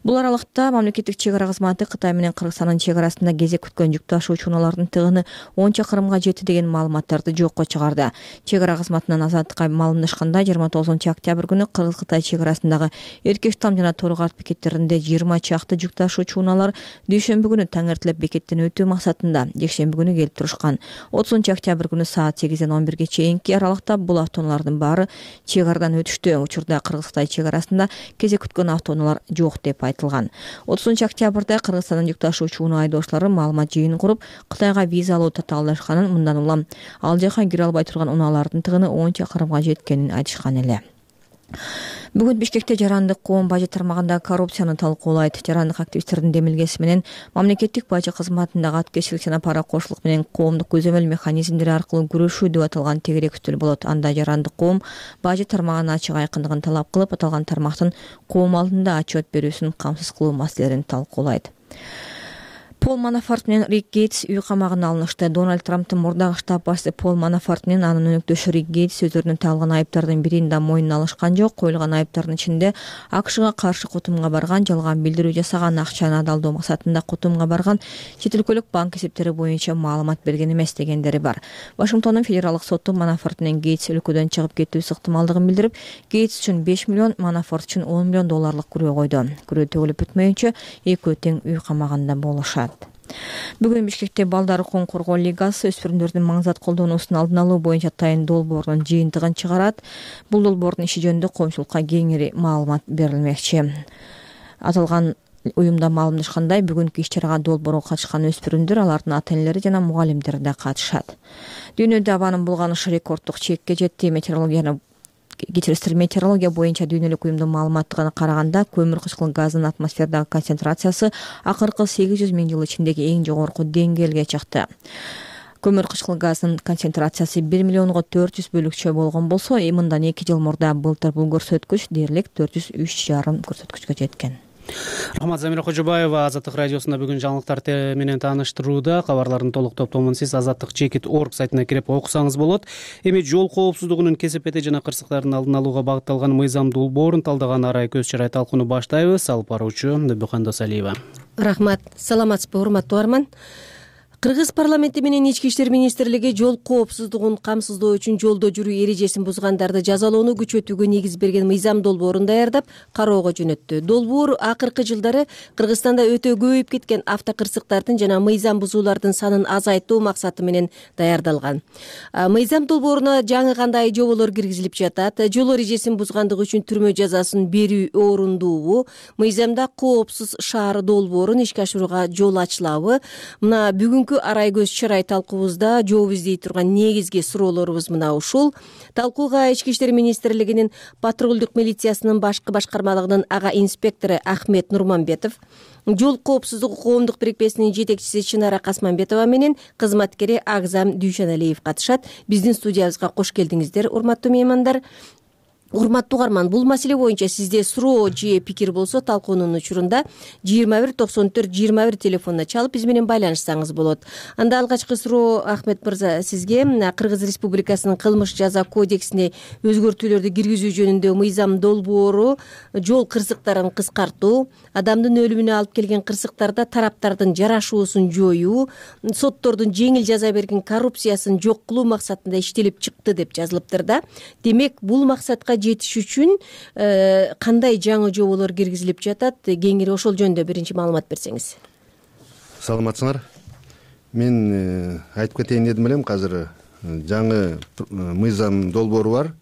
Бул аралыкта мамлекеттик чек ара кызматы Кытай менен Кыргызстандын чек арасында кезек күткөн жүк ташуучу унаалардын тыгыны он чакырымга жетти деген маалыматтарды жокко чыгарды. Чек ара кызматынан Азаттыкка маалымдашканда жыйырма тогузунчу октябрь күнү Кыргыз-Кытай чек арасындагы Эркештам жана Торгарт бекеттеринде жыйырма чакты жүк ташуучу унаалар дүйшөмбү күнү таң эртелеп бекеттен өтүү максатында жекшемби күнү келип турушкан. отузунчу октябрь күнү саат сегизден он бирге чейинки аралыкта бул автоунаалардын баары чек арадан өтүштү. Учурда Кыргыз-Кытай чек арасында кезек күткөн автоунаалар жок деп айтылган. отузунчу октябрда Кыргызстандын жүк ташуучу унаа айдоочулары маалымат жыйынын куруп, Кытайга визалуу татаалдашканын, мындан улам ал жака кире албай турган унаалардын тыгыны он чакырымга жеткенин айтышкан эле. Бүгүн Бишкекте жарандык коом бажы тармагындагы коррупцияны талкуулайт. Жарандык активисттердин демилгеси менен мамлекеттик бажы кызматындагы аткечилик жана пара кошулук менен коомдук көзөмөл механизмдери аркылуу күрөшүү деп аталган тегерек үстөл болот. Анда жарандык коом бажы тармагынын ачык айкындыгын талап кылып, аталган тармактын коом алдында отчет берүүсүн камсыз кылуу маселелерин талкуулайт. Пол Манафорт менен Рик Гейтс үй камагына алынышты. Дональд Трамптын мурдагы штаб башчысы Пол Манафорт менен анын өнөктөшү Рик Гейтс өздөрүнүн тагылган айыптардын бирин да мойнуна алышкан жок. Коюлган айыптардын ичинде АКШга каршы котумга барган, жалган билдирүү жасаган, акчаны адалдоо максатында котумга барган, чет өлкөлүк банк эсептери боюнча маалымат берген эмес дегендери бар. Вашингтондун федералдык соту Манафорт менен Гейтс өлкөдөн чыгып кетүүсү ыктымалдыгын билдирип, Гейтс үчүн беш миллион, Манафорт үчүн он миллион долларлык күрөө койду. Күрөө төгүлүп бүтмөйүнчө экөө тең үй камагында болушат. Бүгүн Бишкекте Балдар укугун коргоо лигасы өспүрүмдөрдүн маңзат колдонуусун алдын алуу боюнча тайын долбоорунун жыйынтыгын чыгарат. Бул долбоордун иши жөнүндө коомчулукка кеңири маалымат берилмекчи. Аталган уюмда маалымдашкандай, бүгүнкү иш-чарага долбоорго катышкан өспүрүмдөр, алардын ата-энелери жана мугалимдери да катышат. Дүйнөдө абанын булганышы рекорддук чекке жетти. Метеорологияны Кечирисиз метеорология боюнча дүйнөлүк уюмдун маалыматына караганда, көмүр кычкыл газынын атмосферадагы концентрациясы акыркы сегиз жүз миң жыл ичиндеги эң жогорку деңгээлге чыкты. Көмүр кычкыл газынын концентрациясы бир миллионго төрт жүз бөлүкчө болгон болсо, мындан эки жыл мурда былтыр бул көрсөткүч дээрлик төрт жүз үч жарым көрсөткүчкө жеткен. Рахмат, Замира Кожобаева. Азаттык радиосунда бүгүн жаңылыктар менен тааныштырууда. Кабарлардын толук топтомун сиз азаттык чекит точка орг сайтына кирип окусаңыз болот. Эми жол коопсуздугунун кесепети жана кырсыктарын алдын алууга багытталган мыйзам долбоорун талдаган арай көз чарай талкууну баштайбыз. Алып баруучу Дөбөкөн Досалиева. Рахмат. Саламатсызбы, урматтуу арман. Кыргыз парламенти менен Ички иштер министрлиги жол коопсуздугун камсыздоо үчүн жолдо жүрүү эрежесин бузгандарды жазалоону күчөтүүгө негиз берген мыйзам долбоорун даярдап, кароого жөнөттү. Долбоор акыркы жылдары Кыргызстанда өтө көбөйүп кеткен автокырсыктардын жана мыйзам бузуулардын санын азайтуу максаты менен даярдалган. Мыйзам долбооруна жаңы кандай жоболор киргизилип жатат? Жол эрежесин бузгандык үчүн түрмө жазасын берүү орундуубу? Мыйзамда коопсуз шаар долбоорун ишке ашырууга жол ачылабы? Мына бүгүн арай көз чарай талкуубузда жооп издей турган негизги суроолорубуз мына ушул. Талкууга Ички иштер министрлигинин патрулдук милициясынын башкы башкармалыгынын ага инспектору Ахмет Нурманбетов, жол коопсуздугу коомдук бирикмесинин жетекчиси Чынара Касманбетова менен кызматкери Агзам Дүйшаналиев катышат. Биздин студиябызга кош келдиңиздер, урматтуу меймандар. урматтуу угарман, бул маселе боюнча сизде суроо же пикир болсо талкуунун учурунда жыйырма бир токсон төрт жыйырма бир телефонуна чалып биз менен байланышсаңыз болот. Анда алгачкы суроо Ахмет мырза сизге. Кыргыз Республикасынын кылмыш жаза кодексине өзгөртүүлөрдү киргизүү жөнүндө мыйзам долбоору жол кырсыктарын кыскартуу, адамдын өлүмүнө алып келген кырсыктарда тараптардын жарашуусун жоюу, соттордун жеңил жаза берген коррупциясын жок кылуу максатында иштелип чыкты деп жазылыптыр да. Демек, бул максатка жетиш үчүн кандай жаңы жоболор киргизилип жатат? Кеңири ошол жөнүндө биринчи маалымат берсеңиз. Саламатсыңар. Мен айтып кетейин дедим элем, азыр жаңы мыйзам долбоору бар.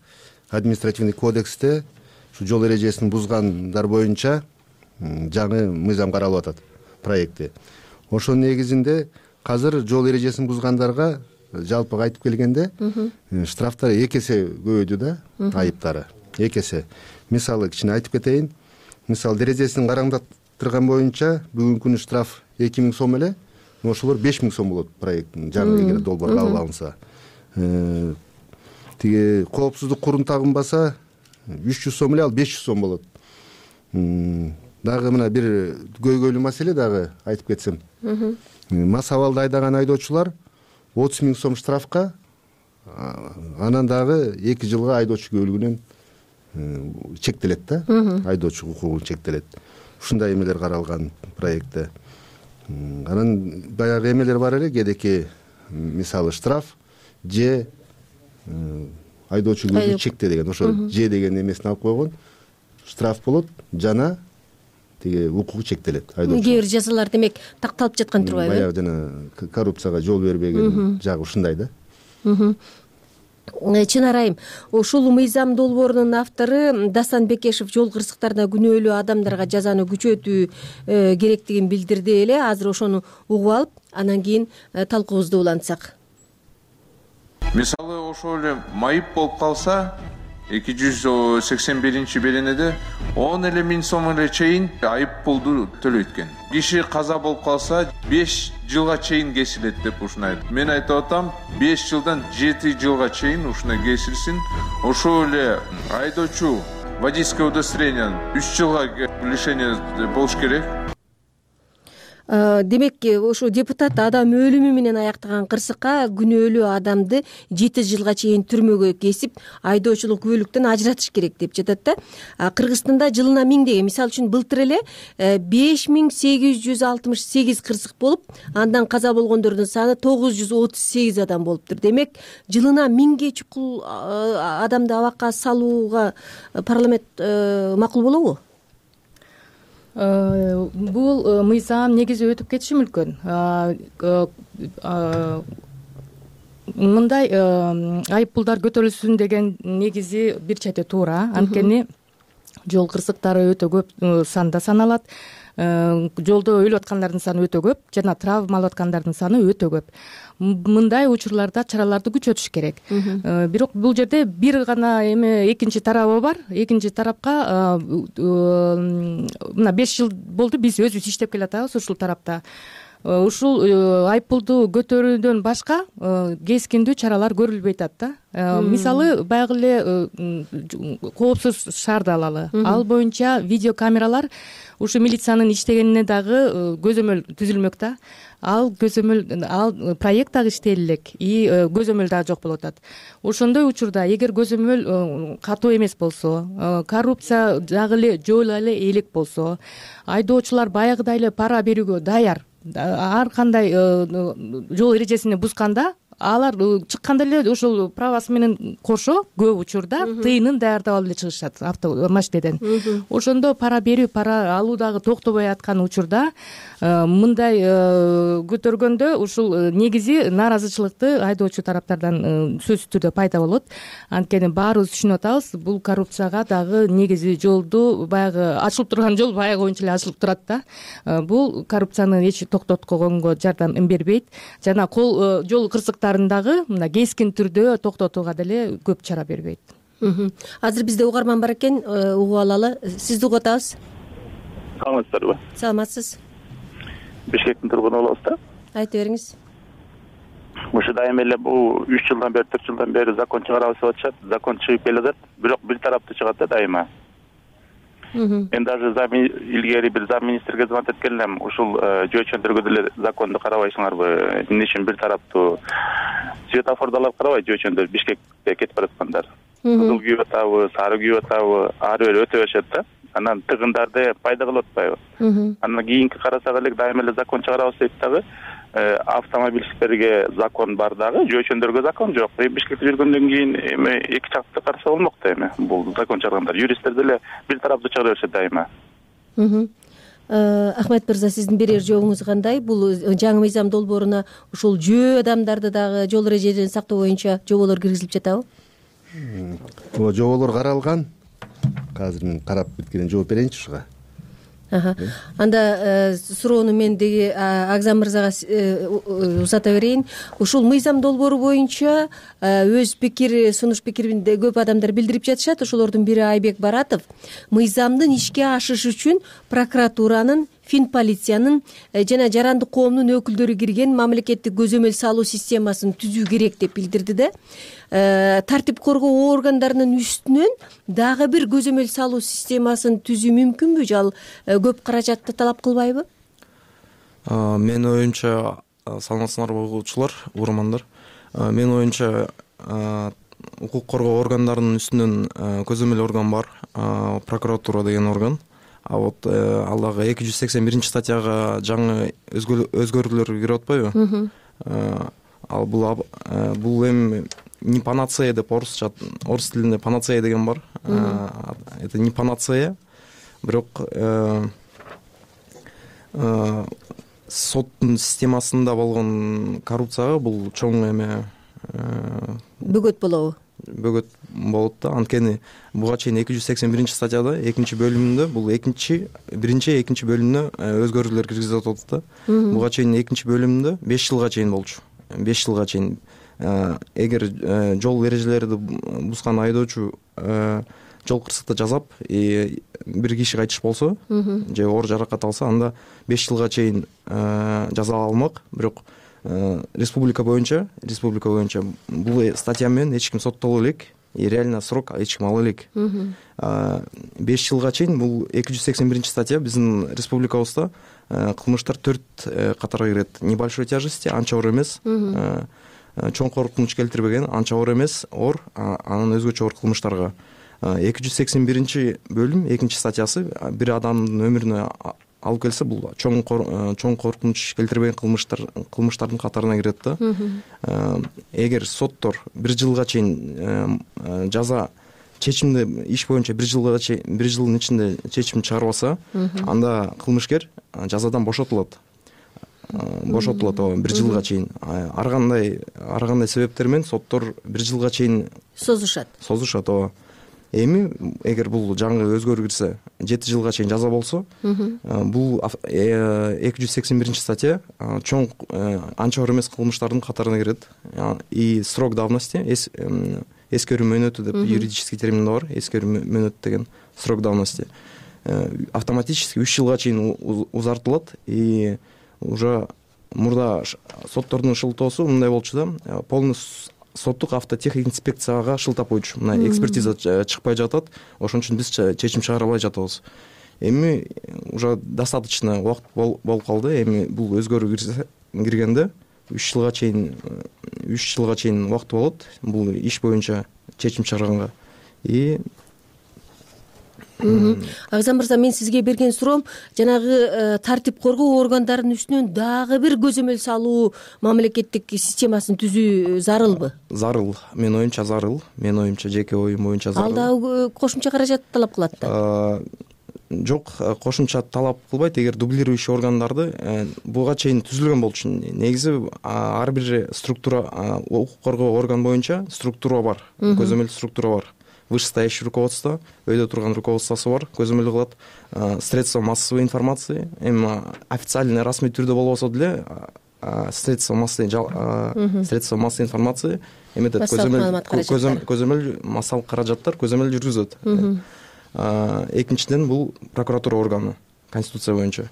Административный кодексте ушу жол эрежесин бузгандар боюнча жаңы мыйзам каралып атат, проекти. Ошонун негизинде азыр жол эрежесин бузгандарга жалпы айтып келгенде штрафтар эки эсе көбөйдү да, айыптары эки эсе. Мисалы кичине айтып кетейин. Мисалы дережесин караңдаттырган боюнча бүгүнкү күнү штраф эки миң сом эле, ошолор беш миң сом болот проекттин жаңы эгер долбоор кабыл алынса. Тиги коопсуздук курун тагынбаса үч жүз сом эле, ал беш жүз сом болот. Дагы мына бир көйгөйлүү маселе дагы айтып кетсем. Мас абалда айдаган айдоочулар отуз миң сом штрафка, анан дагы эки жылга айдоочу көбөлүгүнөн чектелет да, айдоочу укугу чектелет. Ушундай эмелер каралган проектте. Анан баягы эмелер бар эле, кедеки мисалы штраф же айдоочу көбөлүгү чекте деген, ошо же деген эмесин алып койгон. Штраф болот жана тиги укугу чектелет айдоочу. Кээ бир жазалар демек такталып жаткан турбайбы? Баягы жана коррупцияга жол бербеген жагы ушундай да. Чынар айым, ушул мыйзам долбоорунун автору Дастан Бекешев жол кырсыктарына күнөөлүү адамдарга жазаны күчөтүү керектигин билдирди эле. Азыр ошону угуп алып, анан кийин талкуубузду улантсак. Мисалы, ошол эле майып болуп калса, эки жүз сексен биринчи беренеде он эле миң сом эле чейин айып пулду төлөйт экен. Киши каза болуп калса беш жылга чейин кесилет деп ушуну айтып. Мен айтып атам, беш жылдан жети жылга чейин ушуна кесилсин. Ошол эле айдоочу водительское удостоверение үч жылга лишение болуш керек. Демек, ошо депутат адам өлүмү менен аяктаган кырсыкка күнөөлүү адамды жети жылга чейин түрмөгө кесип, айдоочулук күбөлүктөн ажыратыш керек деп жатат да. Кыргызстанда жылына миңдеген, мисалы үчүн былтыр эле беш миң сегиз жүз алтымыш сегиз кырсык болуп, андан каза болгондордун саны тогуз жүз отуз сегиз адам болуптур. Демек, жылына миңге чукул адамды абакка салууга парламент макул болобу? Бул мыйзам негизи өтүп кетиши мүмкүн. Мындай айып пулдар көтөрүлсүн деген негизи бир чети туура. Анткени жол кырсыктары өтө көп санда саналат. Жолдо өлүп аткандардын саны өтө көп жана травма алып аткандардын саны өтө көп. Мындай учурларда чараларды күчөтүш керек. Бирок бул жерде бир гана эме экинчи тарабы бар. Экинчи тарапка мына беш жыл болду биз өзүбүз иштеп келатабыз ушул тарапта. Ушул айып пулду көтөрүүдөн башка кескиндүү чаралар көрүлбөй атат да. Мисалы, баягы эле коопсуз шаарды алалы. Ал боюнча видеокамералар ушу милициянын иштегенине дагы көзөмөл түзүлмөк да. Ал көзөмөл, ал проект дагы иштелелек, и көзөмөл дагы жок болуп атат. Ошондой учурда эгер көзөмөл катуу эмес болсо, коррупция дагы эле жойула эле элек болсо, айдоочулар баягыдай эле пара берүүгө даяр. Ар кандай жол эрежесин бузганда алар чыкканда эле ошол правасы менен кошо көп учурда тыйынын даярдап алып эле чыгышат автомашинеден. Ошондо пара берүү, пара алуу дагы токтобой аткан учурда мындай көтөргөндө ушул негизи нааразычылыкты айдоочу тараптардан сөзсүз түрдө пайда болот. Анткени баарыбыз түшүнүп атабыз, бул коррупцияга дагы негизи жолду баягы ачылып турган жол баягы боюнча эле ачылып турат да. Бул коррупцияны эч токтотконго жардам бербейт. Жана кол жол кырсыктарындагы мына кескин түрдө токтотууга деле көп чара бербейт. Азыр бизде угарман бар экен, угуп алалы. Сизди угуп атабыз. Саламатсыздарбы? Саламатсыз. Бишкектин тургуну болобуз да. Айта бериңиз. ушу дайыма эле бул үч жылдан бери төрт жылдан бери закон чыгарабыз деп атышат. Закон чыгып келатат, бирок бир тараптуу чыгат да дайыма. Мен даже илгери бир зам министрге звонить эткен элем. Ушул жөө-чөндөргө деле законду карабайсыңарбы? Эмне үчүн бир тараптуу светофордолор карабайт жөө-чөндөр Бишкекке кетип бараткандар. Кызыл күйүп атабы, сары күйүп атабы, ары бери өтө беришет да. Анан тыгындарды пайда кылып атпайбы? Анан кийинки карасак эле дайыма эле закон чыгарабыз дейт дагы. Автомобилисттерге закон бар дагы, жөө-чөндөргө закон жок. Бишкекте жүргөндөн кийин эми эки жакты караса болмок да эми. Бул закон чыгаргандар, юристтер деле бир тараптуу чыгара беришет дайыма. Ахмет мырза, сиздин берер жообуңуз кандай? Бул жаңы мыйзам долбооруна ушул жөө адамдарды дагы жол эрежелерин сактоо боюнча жоболор киргизилип жатабы? Ооба, жоболор каралган. Азыр мен карап бүткөндөн жооп берейинчи ушуга. Анда суроону мен деги Агзам мырзага узата берейин. Ушул мыйзам долбоору боюнча өз пикир, сунуш пикирин көп адамдар билдирип жатышат. Ошолордун бири Айбек Баратов. Мыйзамдын ишке ашышы үчүн прокуратуранын, Финполициянын жана жарандык коомдун өкүлдөрү кирген мамлекеттик көзөмөл салуу системасын түзүү керек деп билдирди да. Тартип коргоо органдарынын үстүнөн дагы бир көзөмөл салуу системасын түзүү мүмкүнбү? Ал көп каражатты талап кылбайбы? Менин оюмча, саламатсыңарбы угуучулар, угармандар. Менин оюмча, укук коргоо органдарынын үстүнөн көзөмөл орган бар, прокуратура деген орган. А вот ал дагы эки жүз сексен биринчи статьяга жаңы өзгөрүүлөр кирип атпайбы? Ал бул бул эми не панацея деп орусча, орус тилинде панацея деген бар. Это не панацея, бирок соттун системасында болгон коррупцияга бул чоң эме бөгөт болобу? Бөгөт болот да. Анткени буга чейин эки жүз сексен биринчи статьяда экинчи бөлүмүндө бул экинчи, биринчи, экинчи бөлүмүнө өзгөрүүлөр киргизип атат да. Буга чейин экинчи бөлүмүндө беш жылга чейин болчу. беш жылга чейин эгер жол эрежелерди бузган айдоочу жол кырсыкта жасап, бир киши кайтыш болсо же оор жаракат алса, анда беш жылга чейин жаза алмак. Бирок республика боюнча, республика боюнча бул статья менен эч ким соттоло элек, и реально срок эч ким ала элек. беш жылга чейин бул эки жүз сексен биринчи статья биздин республикабызда кылмыштар төрт катарга кирет. Небольшой тяжести, анча оор эмес, чоң коркунуч келтирбеген, анча оор эмес, оор, анан өзгөчө оор кылмыштарга. эки жүз сексен биринчи бөлүм экинчи статьясы бир адамдын өмүрүнө алып келсе, бул чоң чоң коркунуч келтирбеген кылмыштар кылмыштардын катарына кирет да. Эгер соттор бир жылга чейин жаза чечимди иш боюнча бир жылга чейин бир жылдын ичинде чечим чыгарбаса, анда кылмышкер жазадан бошотулат. Бошотулат ооба, бир жылга чейин. Ар кандай ар кандай себептер менен соттор бир жылга чейин созушат. Созушат ооба. Эми эгер бул жаңы өзгөрүү кирсе, жети жылга чейин жаза болсо, бул эки жүз сексен биринчи статья чоң анча оор эмес кылмыштардын катарына кирет. И срок давности, эскерүү мөөнөтү деп юридический термин бар, эскерүү мөөнөт деген срок давности автоматически үч жылга чейин узартылат. И уже мурда соттордун шылтоосу мындай болчу да, полный соттук автотехинспекцияга шылтап койчу. Мына экспертиза чыкпай жатат, ошон үчүн биз чечим чыгара албай жатабыз. Эми уже достаточно убакыт болуп калды. Эми бул өзгөрүү киргенде үч жылга чейин үч жылга чейин убакыт болот бул иш боюнча чечим чыгарганга. И Агзам мырза, мен сизге берген суроом жанагы тартип коргоо органдарынын үстүнөн дагы бир көзөмөл салуу мамлекеттик системасын түзүү зарылбы? Зарыл. Менин оюмча зарыл. Менин оюмча, жеке оюм боюнча зарыл. Ал дагы кошумча каражат талап кылат да? Жок, кошумча талап кылбайт. Эгер дублирующий органдарды буга чейин түзүлгөн болчу. Негизи ар бир структура, укук коргоо орган боюнча структура бар, көзөмөл структура бар. Вышестоящее руководство, өйдө турган руководствосу бар, көзөмөл кылат. Средства массовой информации, эми официальный расмий түрдө болбосо деле средства массовой средства массовой информации эметет, көзөмөл көзөмөл массалык каражаттар көзөмөл жүргүзөт. Экинчиден бул прокуратура органы конституция боюнча.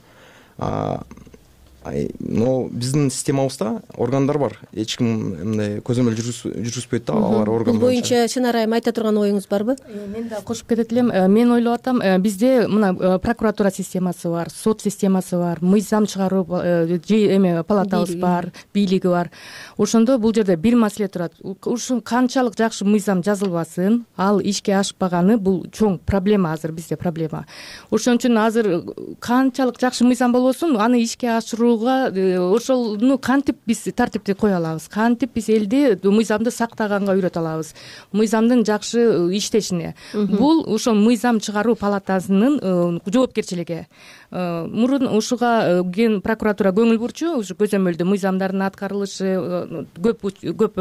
но биздин системабызда органдар бар, эч ким мындай көзөмөл жүргүзбөйт да алар орган бул боюнча Чынар айым айта турган оюңуз барбы? Мен да кошуп кетет элем. Мен ойлоп атам, бизде мына прокуратура системасы бар, сот системасы бар, мыйзам чыгаруу эме палатабыз бар, бийлиги бар. Ошондо бул жерде бир маселе турат. Ушул канчалык жакшы мыйзам жазылбасын, ал ишке ашпаганы бул чоң проблема, азыр бизде проблема. Ошон үчүн азыр канчалык жакшы мыйзам болбосун, аны ишке ашырууга ошону кантип биз тартипти кое алабыз, кантип биз элди мыйзамды сактаганга үйрөтө алабыз, мыйзамдын жакшы иштешине. Бул ошол мыйзам чыгаруу палатасынын жоопкерчилиги. Мурун ушуга ген прокуратура көңүл бурчу, ушу көзөмөлдүү мыйзамдардын аткарылышы көп көп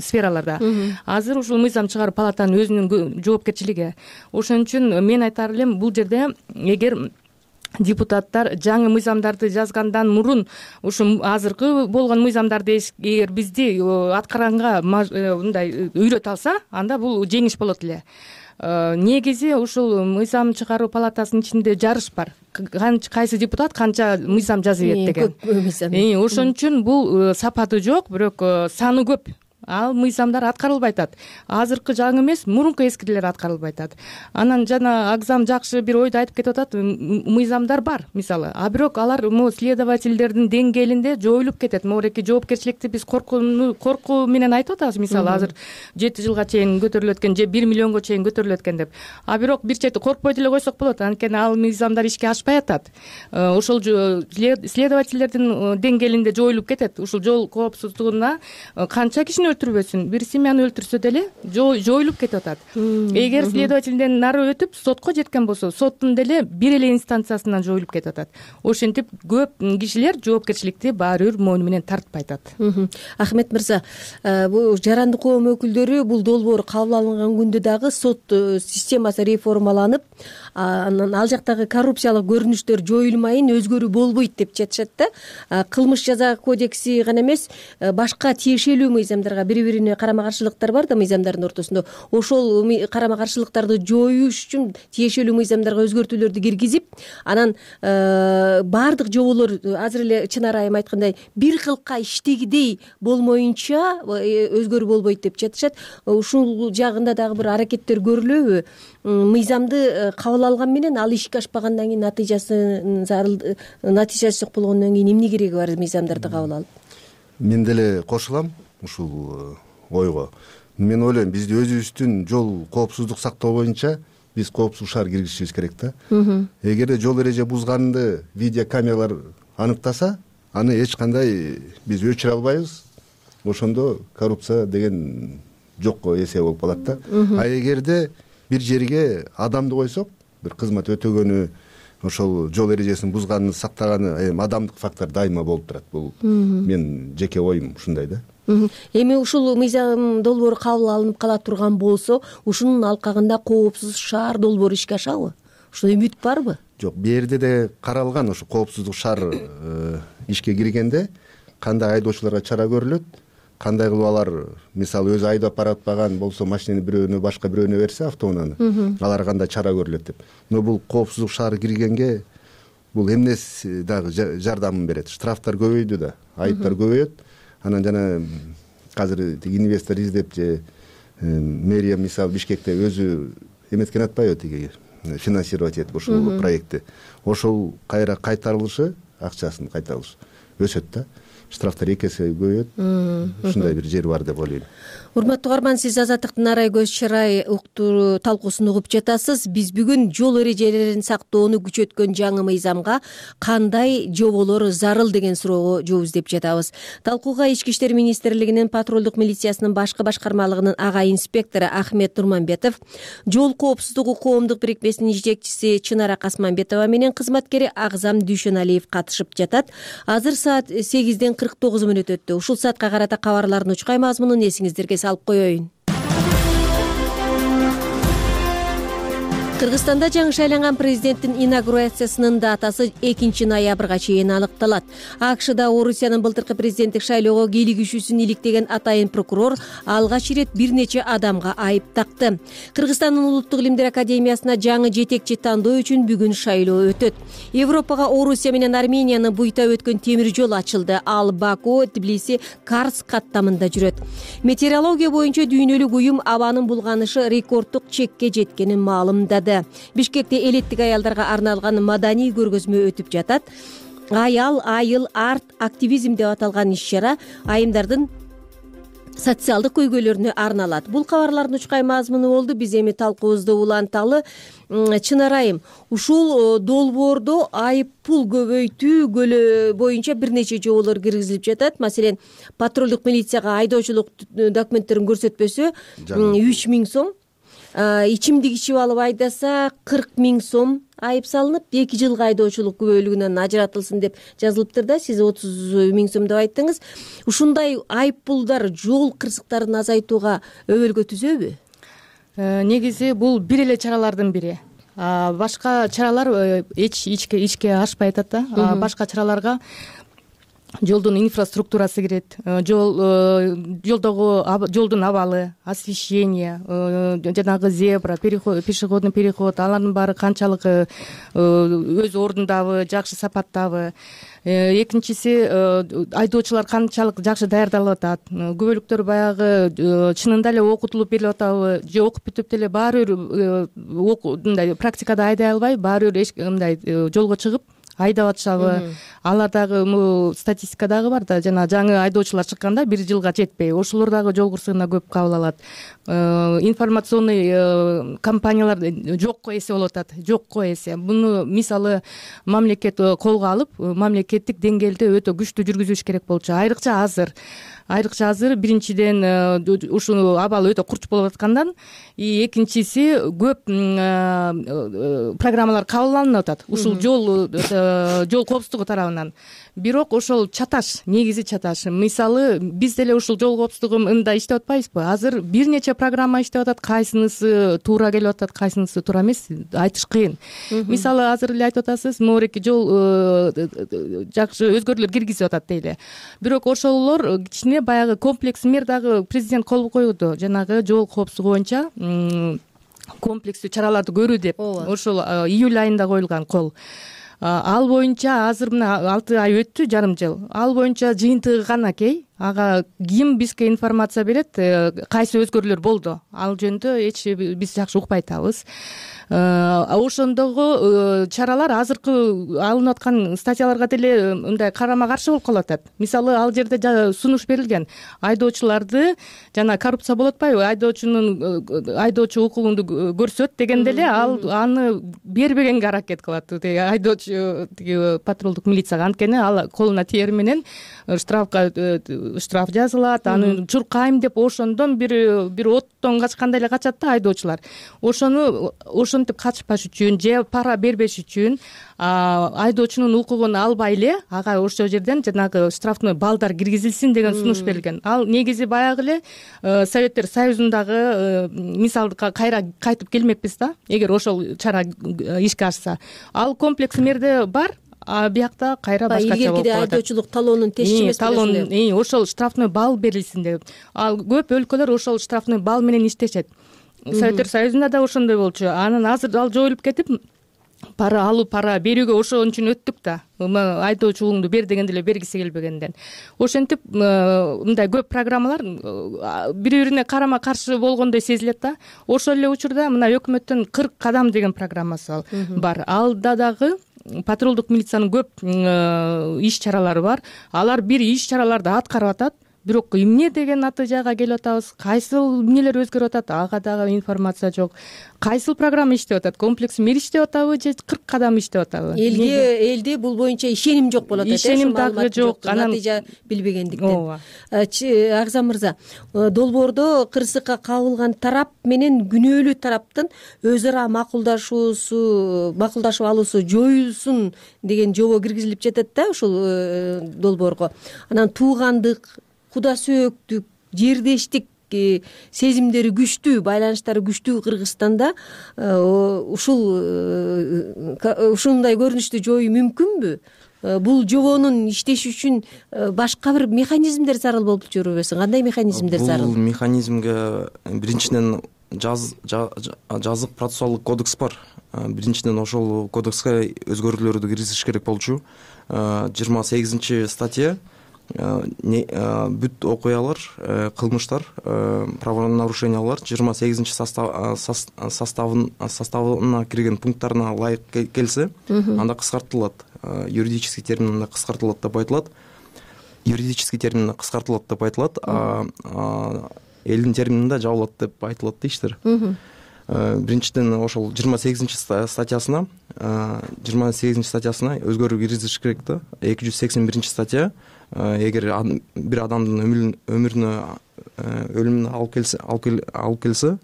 сфераларда. Азыр ушул мыйзам чыгаруу палатанын өзүнүн жоопкерчилиги. Ошон үчүн мен айтар элем, бул жерде эгер депутаттар жаңы мыйзамдарды жазгандан мурун ушу азыркы болгон мыйзамдарды эгер бизди аткарганга мындай үйрөтө алса, анда бул жеңиш болот эле. Негизи ушул мыйзам чыгаруу палатасынын ичинде жарыш бар. Кайсы депутат канча мыйзам жазып ийет деген. Ошон үчүн бул сапаты жок, бирок саны көп. Ал мыйзамдар аткарылбай атат. Азыркы жаңы эмес, мурунку эскилер аткарылбай атат. Анан жана Агзам жакшы бир ойду айтып кетип атат, мыйзамдар бар, мисалы. А бирок алар могу следовательдердин деңгээлинде жоюлуп кетет. Могуреки жоопкерчиликти биз коркууну коркуу менен айтып атабыз, мисалы, азыр жети жылга чейин көтөрүлөт экен, же бир миллионго чейин көтөрүлөт экен деп. А бирок бир чети коркпой деле койсок болот, анткени ал мыйзамдар ишке ашпай атат. Ошол следовательдердин деңгээлинде жоюлуп кетет. Ушул жол коопсуздугуна канча кишини өлтүрбөсүн, бир семьяны өлтүрсө деле жоюлуп кетип атат. Эгер следовательден нары өтүп сотко жеткен болсо, соттун деле бир эле инстанциясынан жоюлуп кетип атат. Ошентип көп кишилер жоопкерчиликти баары бир мойну менен тартпай атат. Ахмет мырза, бул жарандык коом өкүлдөрү бул долбоор кабыл алынган күндө дагы сот системасы реформаланып, анан ал жактагы коррупциялык көрүнүштөр жоюлмайын, өзгөрүү болбойт деп жатышат да. Кылмыш жаза кодекси гана эмес, башка тиешелүү мыйзамдарга бири-бирине карама-каршылыктар бар да мыйзамдардын ортосунда. Ошол карама-каршылыктарды жоюш үчүн тиешелүү мыйзамдарга өзгөртүүлөрдү киргизип, анан баардык жоболор азыр эле Чынар айым айткандай бир кылка иштегидей болмоюнча өзгөрүү болбойт деп жатышат. Ушул жагында дагы бир аракеттер көрүлөбү? Мыйзамды кабыл алган менен ал ишке ашпагандан кийин натыйжасы натыйжасы жок болгондон кийин эмне кереги бар мыйзамдарды кабыл алып? Мен деле кошулам ушул ойго. Мен ойлойм, бизди өзүбүздүн жол коопсуздук сактоо боюнча биз коопсуз шаар киргизишибиз керек да. Эгерде жол эреже бузганды видео камералар аныктаса, аны эч кандай биз өчүрө албайбыз. Ошондо коррупция деген жокко эсе болуп калат да. А эгерде бир жерге адамды койсок, бир кызмат өтөгөнү, ошол жол эрежесин бузганын сактаганы, эми адамдык фактор дайыма болуп турат. Бул мен жеке оюм ушундай да. Эми ушул мыйзам долбоору кабыл алынып кала турган болсо, ушунун алкагында коопсуз шаар долбоору ишке ашабы? Ушул үмүт барбы? Жок, бу жерде де каралган, ушу коопсуздук шаар ишке киргенде кандай айдоочуларга чара көрүлөт, кандай кылып алар, мисалы, өзү айдап баратпаган болсо машинени бирөөнө, башка бирөөнө берсе автоунааны, аларга кандай чара көрүлөт деп. Но бул коопсуздук шаар киргенге бул эмнеси дагы жардамын берет. Штрафтар көбөйдү да, айыптар көбөйөт. Анан жана азыр инвестор издеп же мэрия, мисалы, Бишкекте өзү эметкен атпайбы, тиги финансировать этип ушул проектти. Ошол кайра кайтарылышы, акчасын кайтарылышы өсөт да. Штрафтар эки эсе көбөйөт. Ушундай бир жери бар деп ойлойм. Урматтуу угарман, сиз Азаттыктын Арай көз чырай уктуу талкуусун угуп жатасыз. Биз бүгүн жол эрежелерин сактоону күчөткөн жаңы мыйзамга кандай жоболор зарыл деген суроого жооп издеп жатабыз. Талкууга Ички иштер министрлигинин патрулдук милициясынын башкы башкармалыгынын ага инспектору Ахмет Нурманбетов, жол коопсуздугу коомдук бирикмесинин жетекчиси Чынара Касманбетова менен кызматкери Агзам Дүйшөналиев катышып жатат. Азыр саат сегизден кырк тогуз мүнөт өттү. Ушул саатка карата кабарлардын учкай мазмунун эсиңиздерге салып коеюн. Кыргызстанда жаңы шайланган президенттин инаугурациясынын датасы экинчи ноябрга чейин аныкталат. АКШда Орусиянын былтыркы президенттик шайлоого кийлигишүүсүн иликтеген атайын прокурор алгач ирет бир нече адамга айып такты. Кыргызстандын Улуттук илимдер академиясына жаңы жетекчи тандоо үчүн бүгүн шайлоо өтөт. Европага Орусия менен Арменияны буйта өткөн темир жол ачылды. Ал Баку, Тбилиси, Карс каттамында жүрөт. Метеорология боюнча дүйнөлүк уюм абанын булганышы рекорддук чекке жеткенин маалымдады. Бишкекте элеттик аялдарга арналган маданий көргөзмө өтүп жатат. Аял, айыл, арт, активизм деп аталган иш-чара айымдардын социалдык көйгөйлөрүнө арналат. Бул кабарлардын учкай мазмуну болду. Биз эми талкуубузду уланталы. Чынар айым, ушул долбоордо айып пул көбөйтүү боюнча бир нече жоболор киргизилип жатат. Маселен, патрулдук милицияга айдоочулук документтерин көрсөтпөсө үч миң сом, ичимдик ичип алып айдаса кырк миң сом айып салынып, эки жылга айдоочулук күбөлүгүнөн ажыратылсын деп жазылыптыр да. Сиз отуз миң сом деп айттыңыз. Ушундай айып пулдар жол кырсыктарын азайтууга өбөлгө түзөбү? Негизи бул бир эле чаралардын бири. Башка чаралар эч ичке ашпай атат да. Башка чараларга жолдун инфраструктурасы кирет, жол жолдогу жолдун абалы, освещение, жанагы зебра, пешеходный переход, алардын баары канчалык өз ордундабы, жакшы сапаттабы. Экинчиси, айдоочулар канчалык жакшы даярдалып атат. Күбөлүктөр баягы чынында эле окутулуп берилип атабы, же окуп бүтүп деле баары бир мындай практикада айдай албай, баары бир мындай жолго чыгып айдап атышабы. Алар дагы статистика дагы бар да, жана жаңы айдоочулар чыкканда бир жылга жетпей, ошолор дагы жол кырсыгына көп кабыл алат. Информационный компаниялар жокко эсе болуп атат, жокко эсе. Буну мисалы мамлекет колго алып, мамлекеттик деңгээлде өтө күчтүү жүргүзүш керек болчу. Айрыкча азыр Айрыкча азыр биринчиден ушул абал өтө курч болуп аткандан, экинчиси көп программалар кабыл алынып атат. Ушул жол жол коопсуздугу тарабынан. Бирок ошол чаташ, негизи чаташ. Мисалы, биз деле ушул жол коопсуздугу мындай иштеп атпайбызбы? Азыр бир нече программа иштеп атат, кайсынысы туура келип атат, кайсынысы туура эмес, айтыш кыйын. Мисалы, азыр эле айтып атасыз, моореки жол жакшы өзгөрүүлөр киргизип атат дейли. Бирок ошолор кичине баягы комплекс мер дагы президент кол койду. Жанагы жол коопсуздугу боюнча комплекстүү чараларды көрүү деп. Ошол июль айында коюлган кол. Ал боюнча азыр мына алты ай өттү, жарым жыл. Ал боюнча жыйынтыгы кана кей. Ага ким бизге информация берет, кайсы өзгөрүүлөр болду? Ал жөнүндө эч биз жакшы укпай атабыз. Ошондогу чаралар азыркы алынып аткан статьяларга деле мындай карама каршы болуп калып атат. Мисалы, ал жерде сунуш берилген. Айдоочуларды жана коррупция болуп атпайбы? Айдоочунун айдоочу укугунду көрсөт дегенде эле ал аны бербегенге аракет кылат. Айдоочу тиги патрулдук милицияга, анткени ал колуна тиер менен штрафка штраф жазылат, аны чуркайм деп ошондон бир бир оттон качкандай эле качат да айдоочулар. Ошону ошентип качпаш үчүн же пара бербеш үчүн айдоочунун укугун албай эле ага ошол жерден жанагы штрафный балдар киргизилсин деген сунуш берилген. Ал негизи баягы эле Советтер Союзундагы мисалды кайра кайтып келмекпиз да, эгер ошол чара ишке ашса. Ал комплекс мерде бар. А биякта кайра башкача болуп калат. Айдоочулук талоонун тешчи эмес талоон, ошол штрафный балл берилсин деп. Ал көп өлкөлөр ошол штрафный балл менен иштешет. Советтер Союзунда да ошондой болчу. Анан азыр ал жоюлуп кетип, пара алуу, пара берүүгө ошон үчүн өттүк да. Айдоочулугуңду бер дегенде эле бергиси келбегенден. Ошентип мындай көп программалар бири-бирине карама каршы болгондой сезилет да. Ошол эле учурда мына өкмөттүн кырк кадам деген программасы бар. Алда дагы патрулдук милициянын көп иш чаралары бар. Алар бир иш чараларды аткарып атат. Бирок эмне деген натыйжага келип атабыз? Кайсыл эмнелер өзгөрүп атат? Ага дагы информация жок. Кайсыл программа иштеп атат? Комплекс мер иштеп атабы же кырк кадам иштеп атабы? Элге элде бул боюнча ишеним жок болот экен. Ишеним дагы жок. Анан натыйжа билбегендиктен. Агзам мырза, долбоордо кырсыкка кабылган тарап менен күнөөлүү тараптын өз ара макулдашуусу, макулдашып алуусу жоюлсун деген жобо киргизилип жатат да ушул долбоорго. Анан туугандык, куда сөөктүк, жердештик сезимдери күчтүү, байланыштары күчтүү Кыргызстанда ушул ушундай көрүнүштү жоюу мүмкүнбү? Бул жобонун иштеши үчүн башка бир механизмдер зарыл болуп жүрбөсүн? Кандай механизмдер зарыл? Бул механизмге биринчиден жазык процессуалдык кодекс бар. Биринчиден ошол кодекске өзгөртүүлөрдү киргизиш керек болчу. жыйырма сегизинчи статья бүт окуялар, кылмыштар, правонарушениялар жыйырма сегизинчи составына кирген пункттарына ылайык келсе, анда кыскартылат. Юридический терминде кыскартылат деп айтылат. Юридический терминде кыскартылат деп айтылат. Элдин термининде жабылат деп айтылат дейштир. Биринчиден ошол жыйырма сегизинчи статьясына жыйырма сегизинчи статьясына өзгөрүү киргизиш керек да. эки жүз сексен биринчи статья эгер бир адамдын өмүрүнө өлүмүнө алып келсе алып келсе,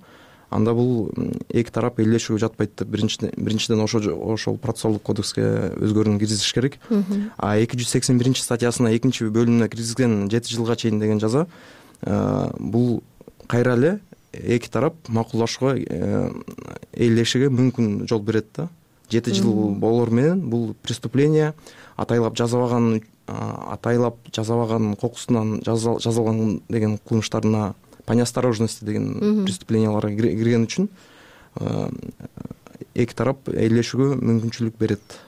анда бул эки тарап элдешүүгө жатпайт деп биринчиден ошол процессуалдык кодекске өзгөрүүнү киргизиш керек. А эки жүз сексен биринчи статьясына экинчи бөлүмүнө киргизген жети жылга чейин деген жаза бул кайра эле эки тарап макулдашууга, элдешүүгө мүмкүн жол берет да. жети жыл болор менен бул преступление атайлап жазабаган атайлап жазабаган кокусунан жазалган деген кылмыштарына по неосторожности деген преступленияларга кирген үчүн эки тарап элдешүүгө мүмкүнчүлүк берет.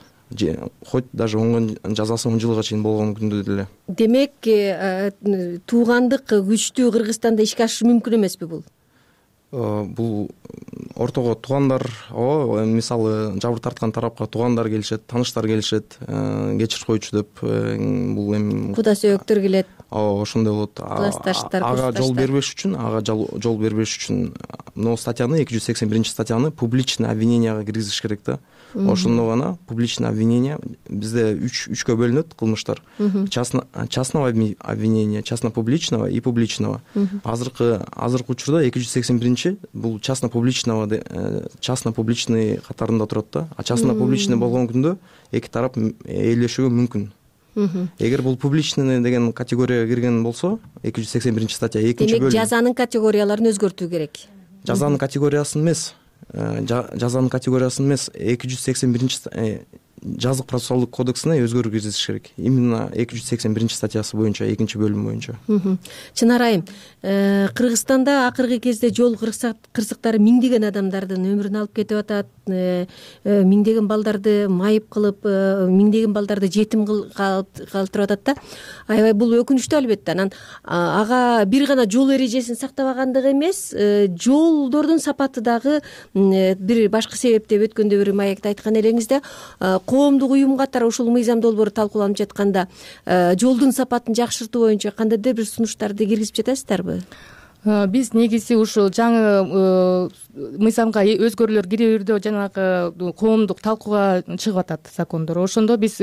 Хоть даже оңгон жазасы он жылга чейин болгон күндө деле. Демек, туугандык күчтүү Кыргызстанда ишке ашышы мүмкүн эмеспи бул? Бул ортого туугандар, мисалы жабыр тарткан тарапка туугандар келишет, тааныштар келишет, кечирип койчу деп, бул эми куда сөөктөр келет. Ооба, ошондой болот. Ага жол бербеш үчүн, ага жол бербеш үчүн могу статьяны, эки жүз сексен биринчи статьяны публичный обвиненияга киргизиш керек да. Ошондо гана публичный обвинение, бизде үч үчкө бөлүнөт кылмыштар. Частного обвинения, частно-публичного и публичного. Азыркы азыркы учурда эки жүз сексен биринчи бул частно-публичного, частно-публичный катарында турат да. А частно-публичный болгон күндө эки тарап элдешүүгө мүмкүн. Эгер бул публичный деген категорияга кирген болсо, эки жүз сексен биринчи статья экинчи бөлүм. Демек, жазанын категорияларын өзгөртүү керек. Жазанын категориясын эмес, жазанын категориясын эмес, эки жүз сексен биринчи жазык процессуалдык кодексине өзгөрүү киргизиш керек. Именно эки жүз сексен биринчи статьясы боюнча, экинчи бөлүм боюнча. Чынар айым, Кыргызстанда акыркы кезде жол кырсыктары миңдеген адамдардын өмүрүн алып кетип атат, миңдеген балдарды майып кылып, миңдеген балдарды жетим калтырып атат да. Аябай бул өкүнүчтүү албетте. Анан ага бир гана жол эрежесин сактабагандыгы эмес, жолдордун сапаты дагы бир башка себеп деп өткөндө бир маекте айткан элеңиз да, коомдук уюм катары ушул мыйзам долбоору талкууланып жатканда жолдун сапатын жакшыртуу боюнча кандайдыр бир сунуштарды киргизип жатасыздарбы? Биз негизи ушул жаңы мыйзамга өзгөрүүлөр кирүүрдө жанагы коомдук талкууга чыгып атат закондор. Ошондо биз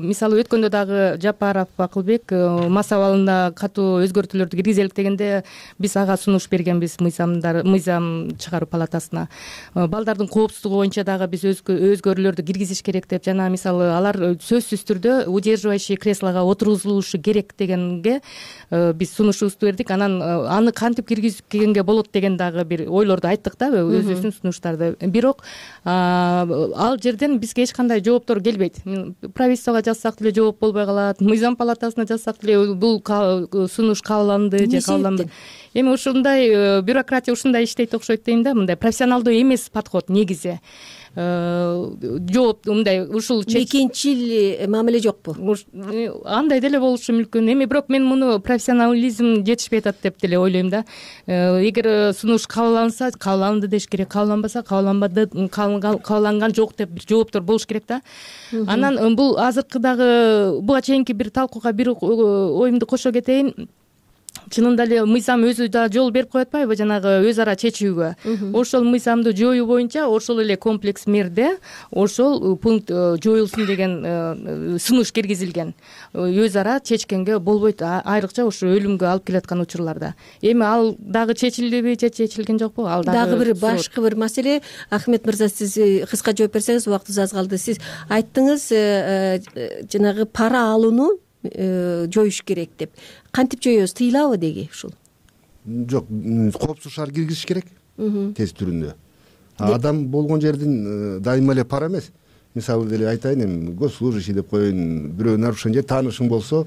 мисалы өткөндө дагы Жапаров Акылбек мас абалына катуу өзгөртүүлөрдү киргизелик дегенде биз ага сунуш бергенбиз мыйзамдар мыйзам чыгаруу палатасына. Балдардын коопсуздугу боюнча дагы биз өзгөрүүлөрдү киргизиш керек деп, жана мисалы алар сөзсүз түрдө удерживающий креслого отургузулушу керек дегенге биз сунушубузду бердик. Анан аны кантип киргизип келгенге болот деген дагы бир ойлорду айттык да, өзүбүздүн сунуштарды. Бирок ал жерден бизге эч кандай жооптор келбейт. Правительствого жазсак деле жооп болбой калат, мыйзам палатасына жазсак деле бул сунуш кабыл алынды же кабыл алынбады. Эми ушундай бюрократия ушундай иштейт окшойт дейм да, мындай профессионалдуу эмес подход негизи. Жооп мындай ушул мекенчил мамиле жокпу? Андай деле болушу мүмкүн. Эми бирок мен муну профессионализм жетишпей атат деп деле ойлойм да. Эгер сунуш кабыл алынса, кабыл алынды деш керек, кабыл алынбаса, кабыл алынбады, кабыл алынган жок деп бир жооптор болуш керек да. Анан бул азыркыдагы буга чейинки бир талкууга бир оюмду кошо кетейин. Чынында эле мыйзам өзү да жол берип коет атпайбы жанагы өз ара чечүүгө. Ошол мыйзамды жоюу боюнча ошол эле комплекс мерде ошол пункт жоюлсун деген сунуш киргизилген. Өз ара чечкенге болбойт, айрыкча ошо өлүмгө алып келаткан учурларда. Эми ал дагы чечилдиби же чечилген жокпу? Ал дагы бир башкы бир маселе. Ахмет мырза, сиз кыска жооп берсеңиз, убактыбыз аз калды. Сиз айттыңыз жанагы пара алууну жоюш керек деп. Кантип жоебуз? Тыйылабы деги ушул? жок, коопсуз шаар киргизиш керек тест түрүндө. Адам болгон жердин дайыма эле пара эмес. Мисалы деле айтайын, эми госслужащий деп коеюн, бирөө нарушение же таанышың болсо,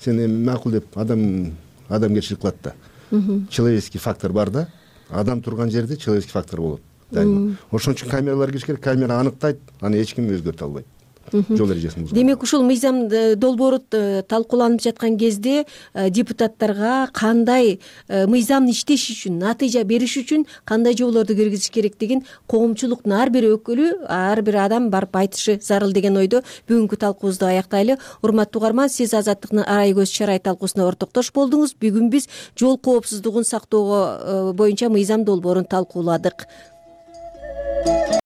сен эми макул деп адам адамгерчилик кылат да. Человеческий фактор бар да. Адам турган жерде человеческий фактор болот. Ошон үчүн камералар кириш керек, камера аныктайт, аны эч ким өзгөртө албайт. Жол эрежесин бузган. Демек ушул мыйзам долбоору талкууланып жаткан кезде депутаттарга кандай мыйзамды иштеш үчүн, натыйжа бериш үчүн кандай жоболорду киргизиш керек деген коомчулуктун ар бир өкүлү, ар бир адам барып айтышы зарыл деген ойдо бүгүнкү талкуубузду аяктайлы. Урматтуу угарман, сиз Азаттыктын арай көз чарай талкуусуна ортоктош болдуңуз. Бүгүн биз жол коопсуздугун сактоого боюнча мыйзам долбоорун талкууладык.